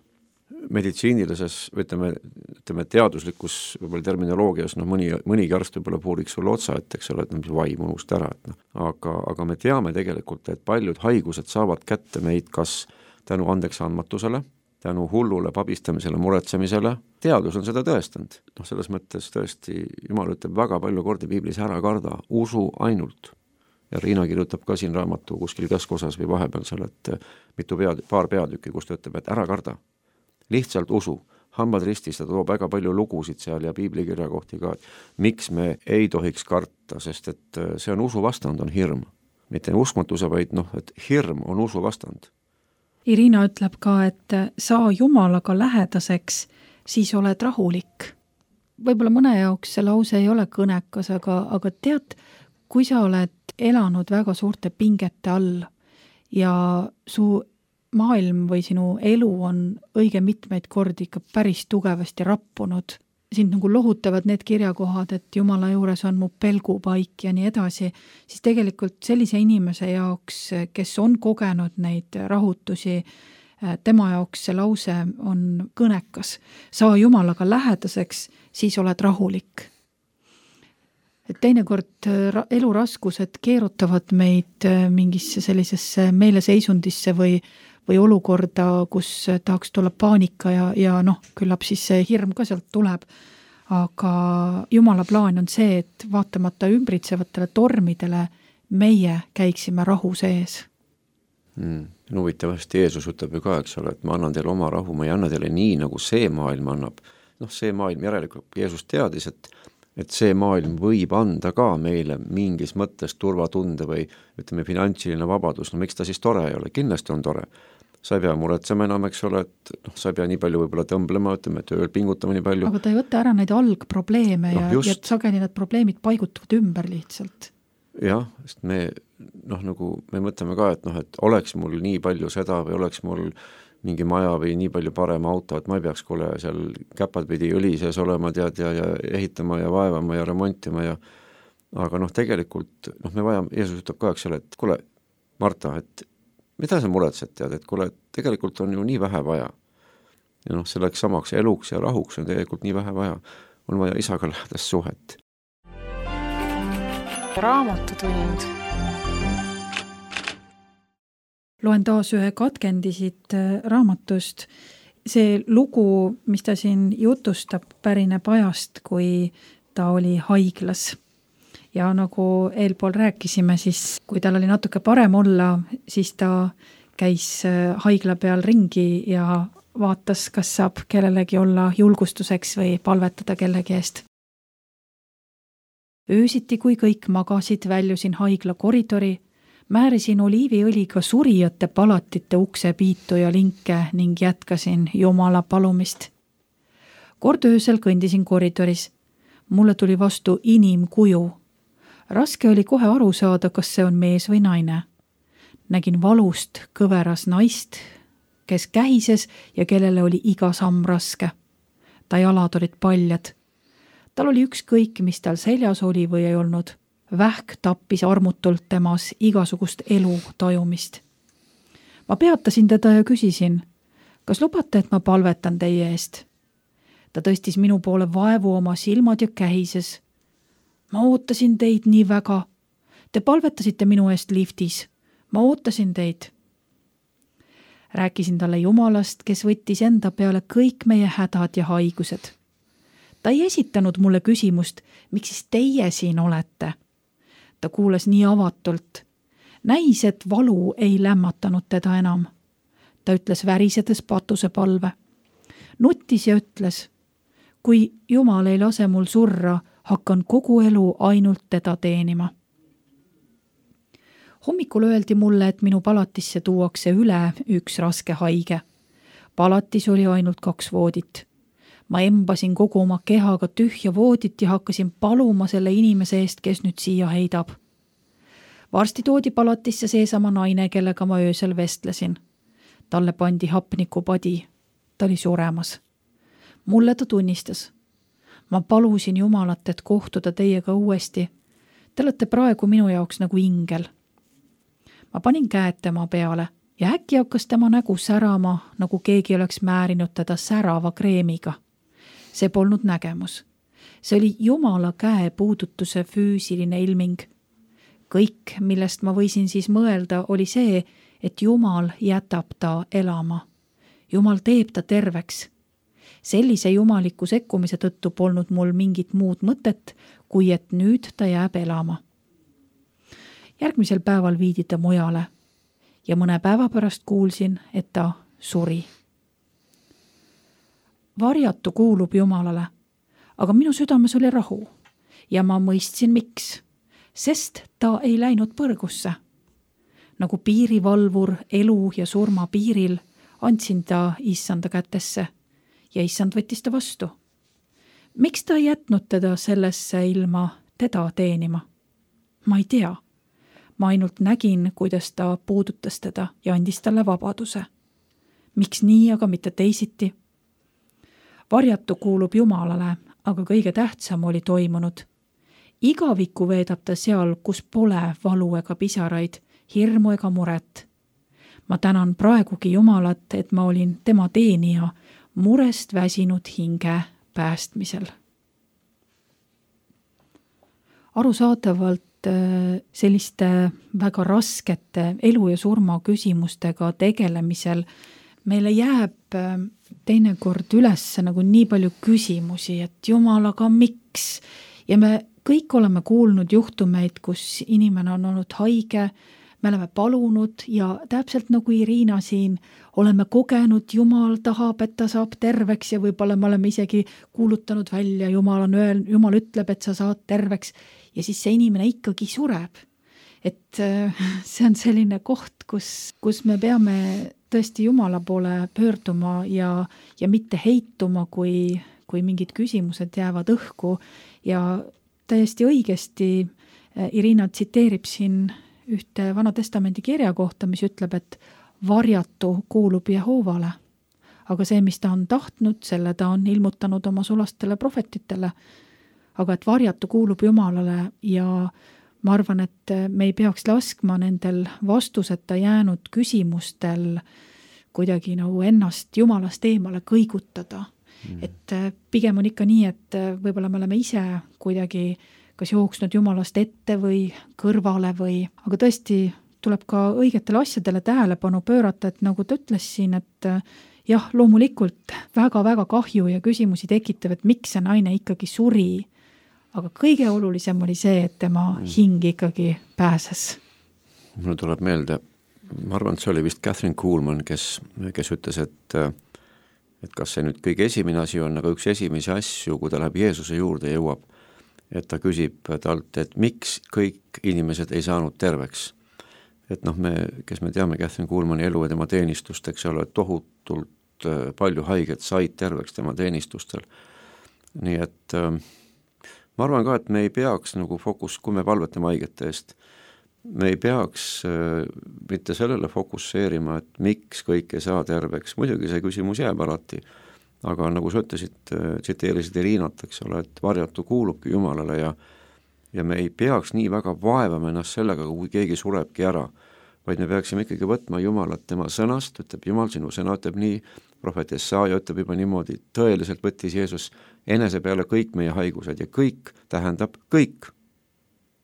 Meditsiinilises, ütleme teaduslikus võib-olla terminoloogias, mõnigi arst võib-olla puuriks sulle otsa, et eks ole, et mis vaim unust ära, aga me teame tegelikult, et paljud haigused saavad kätte meid kas tänu andeksandmatusele, tänu hullule pabistamisele, muretsemisele, teadus on seda tõestanud. Selles mõttes tõesti, Jumal ütleb väga palju kordi Piiblis, ära karda, usu ainult. Ja Riina kirjutab ka siin raamatu kuskil keskosas või vahepeal seal, et paar peatükki, kus ta ütleb, et ära karda. Lihtsalt usu, hambad ristis, ta toob väga palju lugusid seal ja piiblikirja kohti ka, et miks me ei tohiks karta, sest et see on usu vastand, on hirm. Mitte uskmatuse, vaid et hirm on usu vastand. Irina ütleb ka, et saa Jumalaga lähedaseks, siis oled rahulik. Võib-olla mõne jaoks see lause ei ole kõnekas, aga tead, kui sa oled elanud väga suurte pingete all ja su maailm või sinu elu on õige mitmeid kordi ikka päris tugevasti rappunud. Sind nagu lohutavad need kirjakohad, et Jumala juures on mu pelgupaik ja nii edasi, siis tegelikult sellise inimese jaoks, kes on kogenud neid rahutusi, tema jaoks see lause on kõnekas. Saa Jumalaga lähedaseks, siis oled rahulik. Et teinekord eluraskused keerutavad meid mingisse sellisesse meeleseisundisse või olukorda, kus tahaks tulla paanika ja küllap siis see hirm ka sealt tuleb. Aga Jumala plaan on see, et vaatamata ümbritsevatele tormidele meie käiksime rahu sees. Huvitavasti Jeesus ütleb ju ka, eks ole, et ma annan teile oma rahu, ma ei anna teile nii, nagu see maailm annab. See maailm järelikult, Jeesus teadis, et see maailm võib anda ka meile mingis mõttes turvatunde või ütleme finantsiline vabadus, miks ta siis tore ei ole, kindlasti on tore. Sa ei pea muretsema enam, eks ole, et sa ei pea nii palju võib-olla tõmblema, ütleme, tööl pingutama nii palju. Aga ta ei võta ära neid algprobleeme ja sageli need probleemid paigutuvad ümber lihtsalt. Jah, sest me mõtleme ka, et oleks mul nii palju seda või oleks mul mingi maja või nii palju parem auto, et ma ei peaks kuule seal käpad pidi õli sees olema ja ehitama ja vaevama ja remontima aga tegelikult me vajame, Jeesus ütleb ka, eks ole, et kuule, Marta, et mida sa muretsed, tead, et kuule, tegelikult on ju nii vähe vaja. Ja selleks samaks eluks ja rahuks on tegelikult nii vähe vaja. On vaja isaga lähedast suhet. Raamatutund. Loen taas ühe katkendisid raamatust. See lugu, mis ta siin jutustab, pärineb ajast, kui ta oli haiglas. Ja nagu eelpool rääkisime, siis kui tal oli natuke parem olla, siis ta käis haigla peal ringi ja vaatas, kas saab kellelegi olla julgustuseks või palvetada kellegi eest. Öösiti, kui kõik magasid, väljusin haigla koridori, määrisin oliiviõliga surijate palatite ukse piitu ja linke ning jätkasin Jumala palumist. Kord öösel kõndisin koridoris. Mulle tuli vastu inimkuju. Raske oli kohe aru saada, kas see on mees või naine. Nägin valust kõveras naist, kes kähises ja kellele oli iga samm raske. Ta jalad olid paljad. Tal oli ükskõik, mis tal seljas oli või ei olnud. Vähk tappis armutult temas igasugust elu tajumist. Ma peatasin teda ja küsisin, kas lubate, et ma palvetan teie eest? Ta tõstis minu poole vaevu oma silmad ja kähises. Ma ootasin teid nii väga. Te palvetasite minu eest liftis. Ma ootasin teid. Rääkisin talle Jumalast, kes võttis enda peale kõik meie hädad ja haigused. Ta ei esitanud mulle küsimust, miks siis teie siin olete, Ta kuulas nii avatult. Näis, et valu ei lämmatanud teda enam. Ta ütles värisedes patuse palve. Nuttis ja ütles, kui Jumal ei lase mul surra, hakkan kogu elu ainult teda teenima. Hommikul öeldi mulle, et minu palatisse tuuakse üle üks raske haige. Palatis oli ainult 2 voodit. Ma embasin kogu oma kehaga tühja voodit ja hakkasin paluma selle inimese eest, kes nüüd siia heidab. Varsti toodi palatisse seesama naine, kellega ma öösel vestlesin. Talle pandi hapnikupadi. Ta oli suremas. Mulle ta tunnistas. Ma palusin Jumalat, et kohtuda teiega uuesti. Te olete praegu minu jaoks nagu ingel. Ma panin käed tema peale ja äkki hakkas tema nägu särama, nagu keegi oleks määrinud teda särava kreemiga. See polnud nägemus. See oli Jumala käe puudutuse füüsiline ilming. Kõik, millest ma võisin siis mõelda, oli see, et Jumal jätab ta elama. Jumal teeb ta terveks. Sellise jumaliku sekkumise tõttu polnud mul mingit muud mõtet, kui et nüüd ta jääb elama. Järgmisel päeval viidi ta mujale ja mõne päeva pärast kuulsin, et ta suri. Varjatu kuulub Jumalale, aga minu südames oli rahu ja ma mõistsin miks, sest ta ei läinud põrgusse. Nagu piirivalvur elu ja surma piiril andsin ta issanda kätesse ja issand võttis ta vastu. Miks ta ei jätnud teda sellesse ilma teda teenima? Ma ei tea. Ma ainult nägin, kuidas ta puudutas teda ja andis talle vabaduse. Miks nii, aga mitte teisiti? Varjatu kuulub Jumalale, aga kõige tähtsam oli toimunud. Igaviku veedab ta seal, kus pole valu ega pisaraid, hirmu ega muret. Ma tänan praegugi Jumalat, et ma olin tema teenija murest väsinud hinge päästmisel. Arusaadavalt selliste väga raskete elu ja surma küsimustega tegelemisel meile jääb teinekord üles nagu nii palju küsimusi, et Jumal, aga miks? Ja me kõik oleme kuulnud juhtumeid, kus inimene on olnud haige, me oleme palunud ja täpselt nagu Irina siin oleme kogenud, Jumal tahab, et ta saab terveks ja võib-olla me oleme isegi kuulutanud välja, Jumal ütleb, et sa saad terveks ja siis see inimene ikkagi sureb. Et see on selline koht, kus me peame tõesti Jumala poole pöörduma ja mitte heituma, kui mingid küsimused jäävad õhku ja täiesti õigesti Irina tsiteerib siin ühte Vana Testamendi kirja kohta, mis ütleb, et varjatu kuulub Jehoovale. Aga see, mis ta on tahtnud, selle ta on ilmutanud oma sulastele prohvetitele. Aga et varjatu kuulub Jumalale ja ma arvan, et me ei peaks laskma nendel vastuseta jäänud küsimustel kuidagi nagu ennast Jumalast eemale kõigutada. Et pigem on ikka nii, et võib-olla me oleme ise kuidagi kas jooksnud Jumalast ette või kõrvale aga tõesti tuleb ka õigetele asjadele tähelepanu pöörata, et nagu ta ütles siin, et jah, loomulikult väga-väga kahju ja küsimusi tekitav, et miks see naine ikkagi suri, aga kõige olulisem oli see, et tema hing ikkagi pääses. Mulle tuleb meelde, ma arvan, et see oli vist Catherine Kuhlman, kes ütles, et kas see nüüd kõige esimene asi on, aga üks esimesi asju, kui ta läheb Jeesuse juurde jõuab, et ta küsib talt, et miks kõik inimesed ei saanud terveks. Et kes me teame Catherine Kuhlmani elu ja tema teenistust, eks ole, tohutult palju haiget said terveks tema teenistustel. Nii et ma arvan ka, et me ei peaks nagu kui me palvetame haigete eest, me ei peaks mitte sellele fokusseerima, et miks kõik ei saa terveks. Muidugi see küsimus jääb alati. Aga nagu sa ütlesid, tsiteerisid Irinat, eks ole, et varjatu kuulubki Jumalale ja me ei peaks nii väga vaevama ennast sellega, kui keegi surebki ära, vaid me peaksime ikkagi võtma Jumalat tema sõnast, ütleb Jumal, sinu sõna ütleb nii, prohvet Jesaja ütleb juba niimoodi, tõeliselt võttis Jeesus enese peale kõik meie haigused ja kõik tähendab kõik.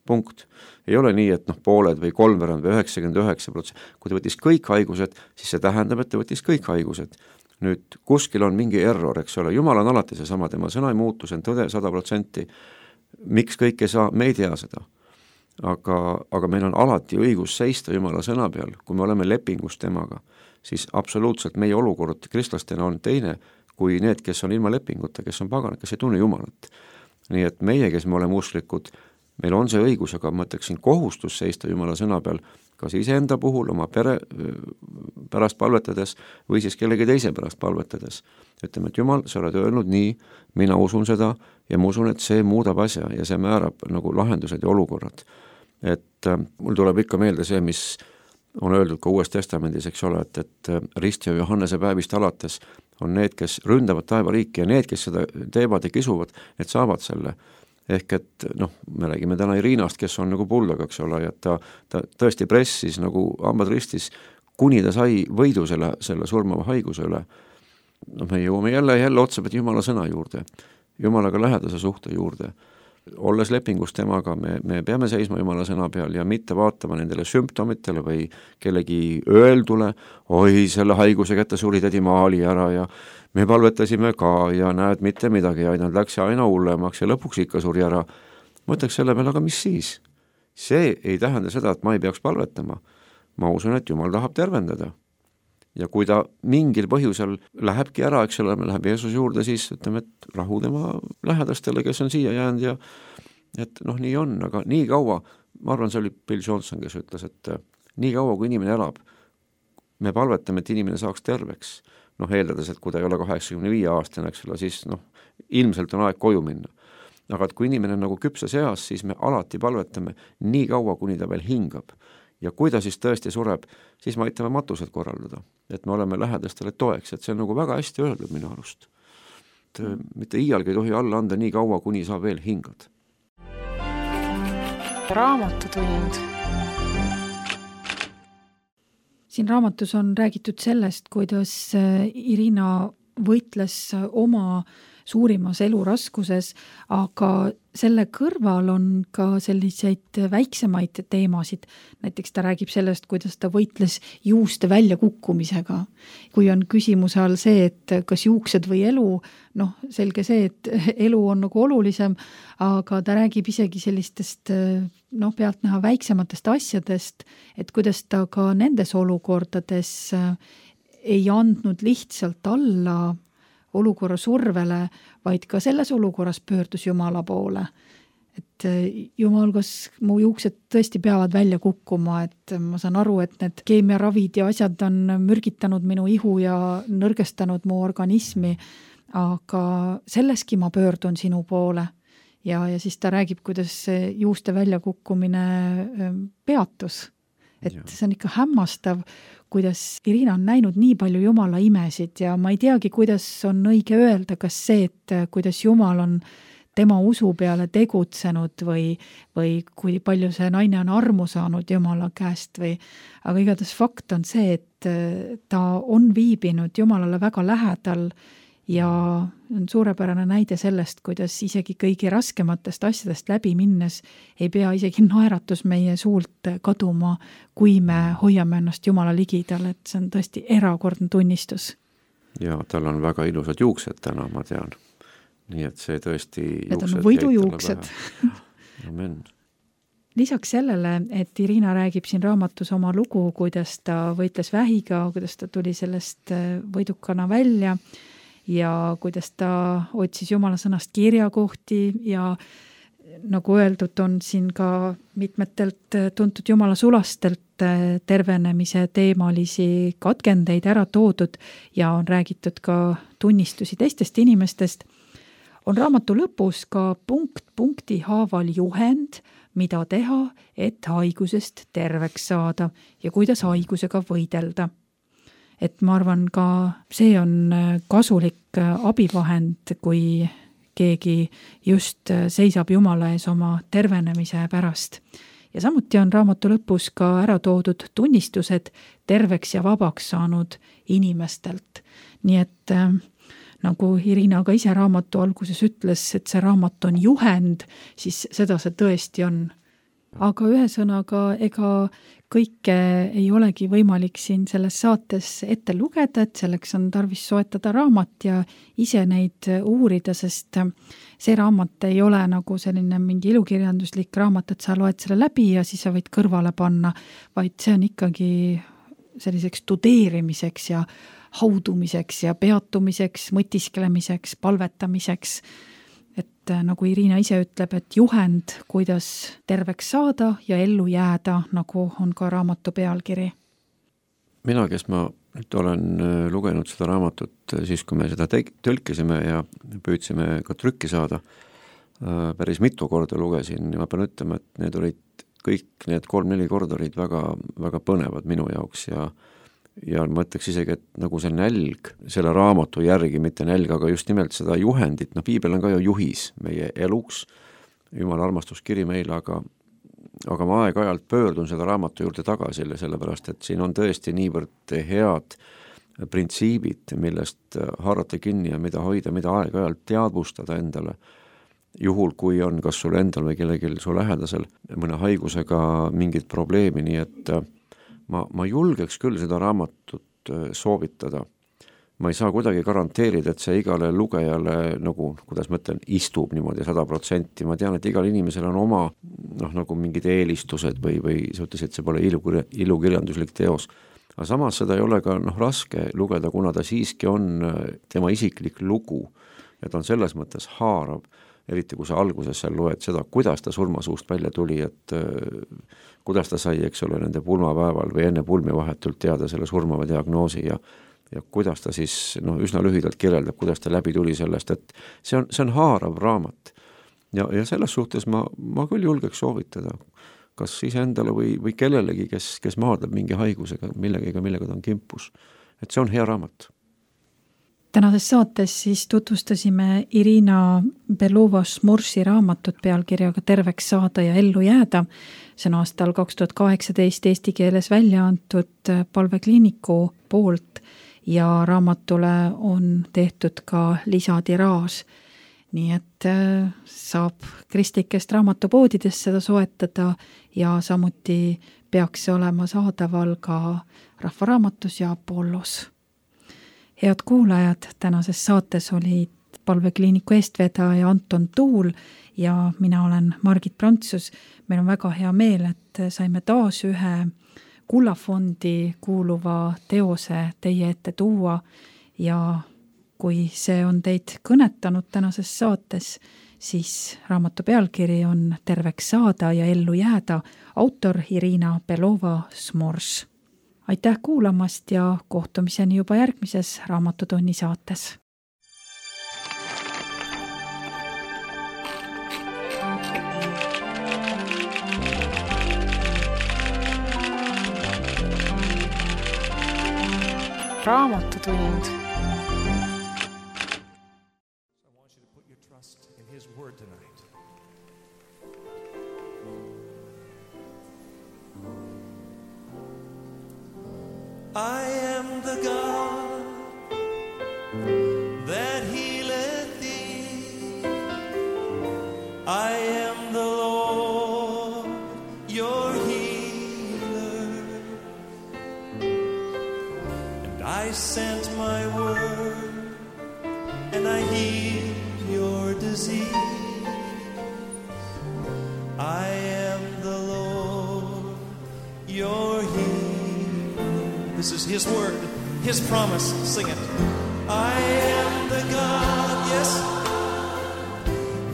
Punkt. Ei ole nii, et pooled või 3% või 99%. Kui ta võttis kõik haigused, siis see tähendab, et ta võttis kõik haigused. Nüüd kuskil on mingi error, eks ole, Jumal on alati seesama, tema sõna ei muutu, see on tõde 100%. Miks kõik ei saa, me ei tea seda. aga meil on alati õigus seista Jumala sõna peal, kui me oleme lepingus temaga, siis absoluutselt meie olukord kristlastena on teine kui need, kes on ilma lepinguta, kes on paganad, kes ei tunne Jumalat. Nii et meie, kes me oleme usklikud, meil on see õigus, aga ma ütleksin kohustus seista Jumala sõna peal, kas iseenda puhul, oma pere pärast palvetades või siis kellegi teise pärast palvetades. Ütleme, et Jumal, sa oled öelnud nii, mina usun seda ja ma usun, et see muudab asja ja see määrab nagu lahendused ja olukorrad. Et mul tuleb ikka meelde see, mis on öeldud ka Uues Testamendis, eks ole, et Rist ja Johannese päevist alates on need, kes ründavad taevariiki ja need, kes seda teevad ja kisuvad, need saavad selle. Ehk et me räägime täna Irinast, kes on nagu puldaga, eks ole, ja ta tõesti pressis nagu hambad ristis, kuni ta sai võidu selle surmava haiguse üle. Me jõuame jälle otsapidi Jumala sõna juurde, Jumalaga lähedase suhte juurde. Olles lepingus temaga, me peame seisma Jumala sõna peal ja mitte vaatama nendele sümptomitele või kellegi öeldule, oi, selle haiguse kätte suri tädi Maali ära ja me palvetasime ka ja näed, mitte midagi ja nad läks aina hullemaks ja lõpuks ikka suri ära. Mõtleks selle peale, aga mis siis? See ei tähenda seda, et ma ei peaks palvetama. Ma usun, et Jumal tahab tervendada. Ja kui ta mingil põhjusel lähebki ära, eks ole, me läheb Jeesus juurde, siis ütleme, et rahu tema lähedastele, kes on siia jäänud ja et nii on, aga nii kaua, ma arvan, see oli Bill Johnson, kes ütles, et nii kaua, kui inimene elab, me palvetame, et inimene saaks terveks. Eeldades, et kui ta ei ole 85 aastane, eks ole, siis ilmselt on aeg koju minna. Aga et kui inimene on nagu küpses eas, siis me alati palvetame nii kaua, kuni ta veel hingab. Ja kui ta siis tõesti sureb, siis me aitame matused korraldada, et me oleme lähedastele toeks, et see on nagu väga hästi öeldud minu arust. Mitte iialgi ei tohi alla anda nii kaua, kuni sa veel hingad. Raamatutund. Siin raamatus on räägitud sellest, kuidas Irina võitles oma suurimas eluraskuses, aga selle kõrval on ka selliseid väiksemaid teemasid. Näiteks ta räägib sellest, kuidas ta võitles juuste väljakukkumisega. Kui on küsimuse all see, et kas juuksed või elu, selge see, et elu on nagu olulisem, aga ta räägib isegi sellistest pealtnäha väiksematest asjadest, et kuidas ta ka nendes olukordades ei andnud lihtsalt alla olukorra survele, vaid ka selles olukorras pöördus Jumala poole. Et Jumal, kas mu juuksed tõesti peavad välja kukkuma, et ma saan aru, et need keemiaravid ja asjad on mürgitanud minu ihu ja nõrgestanud mu organismi, aga selleski ma pöördun sinu poole. Ja siis ta räägib, kuidas juuste väljakukkumine peatus. Et see on ikka hämmastav, kuidas Irina on näinud nii palju Jumala imesid ja ma ei teagi, kuidas on õige öelda, kas see, et kuidas Jumal on tema usu peale tegutsenud või kui palju see naine on armu saanud Jumala käest aga igatahes fakt on see, et ta on viibinud Jumalale väga lähedal ja on suurepärane näide sellest, kuidas isegi kõigi raskematest asjadest läbi minnes ei pea isegi naeratus meie suult kaduma, kui me hoiame ennast Jumala ligidal, et see on tõesti erakordne tunnistus. Ja tal on väga ilusad juuksed täna, ma tean. Nii et see tõesti need on võidujuuksed. Amen. Lisaks sellele, et Irina räägib siin raamatus oma lugu, kuidas ta võitles vähiga, kuidas ta tuli sellest võidukana välja ja kuidas ta otsis Jumala sõnast kirjakohti ja nagu öeldud, on siin ka mitmetelt tuntud Jumala sulastelt tervenemise teemalisi katkendeid ära toodud ja on räägitud ka tunnistusi teistest inimestest. On raamatu lõpus ka punkti haaval juhend, mida teha, et haigusest terveks saada ja kuidas haigusega võidelda. Et ma arvan ka see on kasulik abivahend, kui keegi just seisab Jumala ees oma tervenemise pärast. Ja samuti on raamatu lõpus ka ära toodud tunnistused terveks ja vabaks saanud inimestelt. Nii et nagu Irina ka ise raamatu alguses ütles, et see raamat on juhend, siis seda see tõesti on. Aga ühesõnaga, ega kõike ei olegi võimalik siin selles saates ette lugeda, et selleks on tarvis soetada raamat ja ise neid uurida, sest see raamat ei ole nagu selline mingi ilukirjanduslik raamat, et sa loed selle läbi ja siis sa võid kõrvale panna, vaid see on ikkagi selliseks tudeerimiseks ja haudumiseks ja peatumiseks, mõtisklemiseks, palvetamiseks. Et nagu Irina ise ütleb, et juhend, kuidas terveks saada ja ellu jääda, nagu on ka raamatu pealkiri. Mina, kes ma nüüd olen lugenud seda raamatut siis, kui me seda tõlkisime ja püüdsime ka trükki saada, päris mitu korda lugesin ja ma pean ütlema, et need olid kõik need 3-4 korda olid väga, väga põnevad minu jaoks ja ma ütleks isegi, et nagu see nälg selle raamatu järgi, mitte nälg, aga just nimelt seda juhendit, piibel on ka ju juhis meie eluks, Jumala armastuskiri meile, aga ma aeg-ajalt pöördun selle raamatu juurde tagasi, sellepärast, et siin on tõesti niivõrd head printsiibid, millest haarata kinni ja mida hoida, mida aeg-ajalt teadvustada endale, juhul kui on kas sul endal või kellelgi su lähedasel mõne haigusega mingit probleemi, nii et ma julgeks küll seda raamatut soovitada. Ma ei saa kuidagi garanteerida, et see igale lugejale nagu, kuidas ma ütlen, istub niimoodi 100%. Ma tean, et igal inimesel on oma nagu mingid eelistused või sa ütlesid, et see pole ilukirjanduslik teos. Aga samas seda ei ole ka raske lugeda, kuna ta siiski on tema isiklik lugu ja ta on selles mõttes haarav, eriti kui sa alguses seal loed seda, kuidas ta surmasuust välja tuli, et kuidas ta sai, eks ole, nende pulmapäeval või enne pulmi vahetult teada selle surmava diagnoosi ja kuidas ta siis üsna lühidalt kirjeldab, kuidas ta läbi tuli sellest, et see on haarav raamat. Ja selles suhtes ma küll julgeks soovitada, kas iseendale või kellelegi, kes maadleb mingi haigusega, millega ta on kimpus. Et see on hea raamat. Tänases saates siis tutvustasime Irina Belova-Smorsi raamatut pealkirjaga Terveks saada ja ellu jääda. See on aastal 2018 eesti keeles välja antud Palvekliiniku poolt ja raamatule on tehtud ka lisatiraaž. Nii et saab kristlikest raamatupoodidest seda soetada ja samuti peaks see olema saadaval ka Rahvaraamatus ja Apollos. Head kuulajad, tänases saates olid Palvekliiniku eestvedaja Anton Tuul ja mina olen Margit Prantsus. Meil on väga hea meel, et saime taas ühe Kullafondi kuuluva teose teie ette tuua ja kui see on teid kõnetanud tänases saates, siis raamatu pealkiri on Terveks saada ja ellu jääda, autor Irina Belova-Smors. Aitäh kuulamast ja kohtumiseni juba järgmises Raamatutunni saates. Raamatutund. I want you to put your trust in His word tonight. I am the God that healeth thee. I am the Lord, your healer. And I sent my word, and I healed your disease. I am the Lord, your healer. This is His word, His promise. Sing it. I am the God, yes,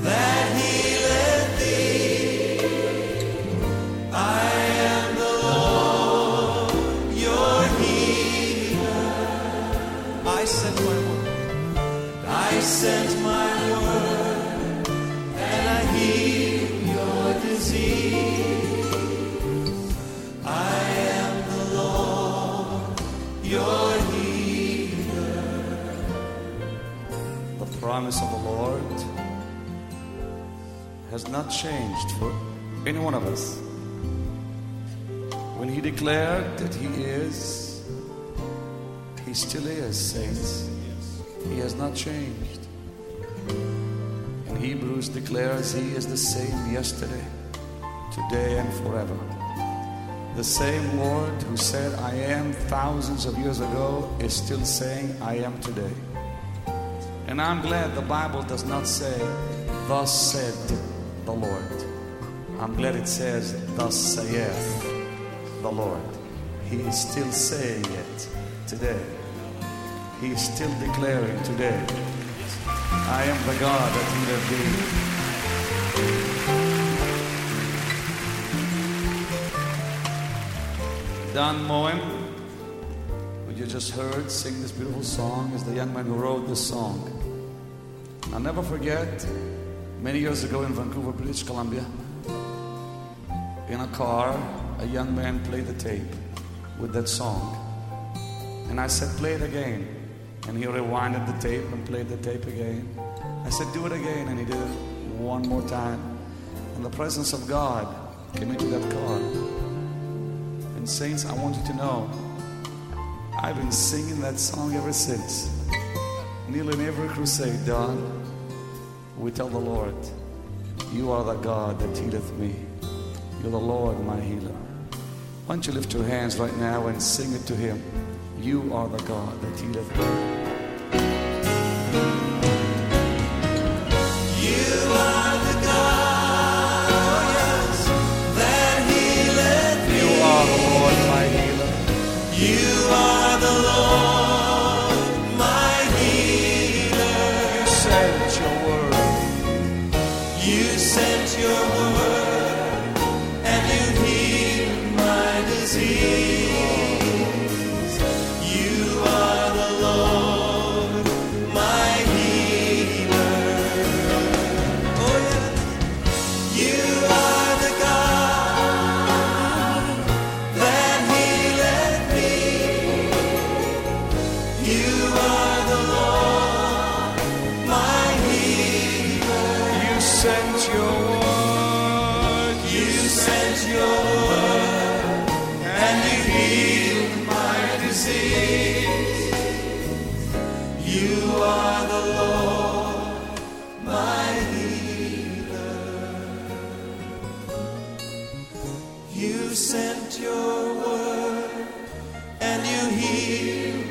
that healeth thee. I am the Lord, your healer. I sent my word. I sent my word, and I healed your disease. Your healer. The promise of the Lord has not changed for any one of us. When He declared that He is, He still is, saints. He has not changed. And Hebrews declares He is the same yesterday, today and forever. The same Lord who said, I am thousands of years ago, is still saying, I am today. And I'm glad the Bible does not say, thus said the Lord. I'm glad it says, thus saith the Lord. He is still saying it today. He is still declaring today, I am the God that healeth thee. Don Moen, who you just heard sing this beautiful song, is the young man who wrote this song. I'll never forget, many years ago in Vancouver, British Columbia, in a car, a young man played the tape with that song. And I said, play it again. And he rewinded the tape and played the tape again. I said, do it again. And he did it one more time. And the presence of God came into that car. And saints, I want you to know, I've been singing that song ever since. Nearly in every crusade, Don, we tell the Lord, you are the God that healeth me. You're the Lord, my healer. Why don't you lift your hands right now and sing it to Him. You are the God that healeth me. You are the God, oh yes, that healeth me. You are the Lord, my healer. You are the Lord, my healer. You sent your word. You sent your word, and you healed my disease. You are the Lord, my healer. Oh yes, you are the God that healeth me. You are the Lord, my healer. You sent your word. You sent your word, and you healed my disease. You are the Lord, my healer. You sent your word, and you healed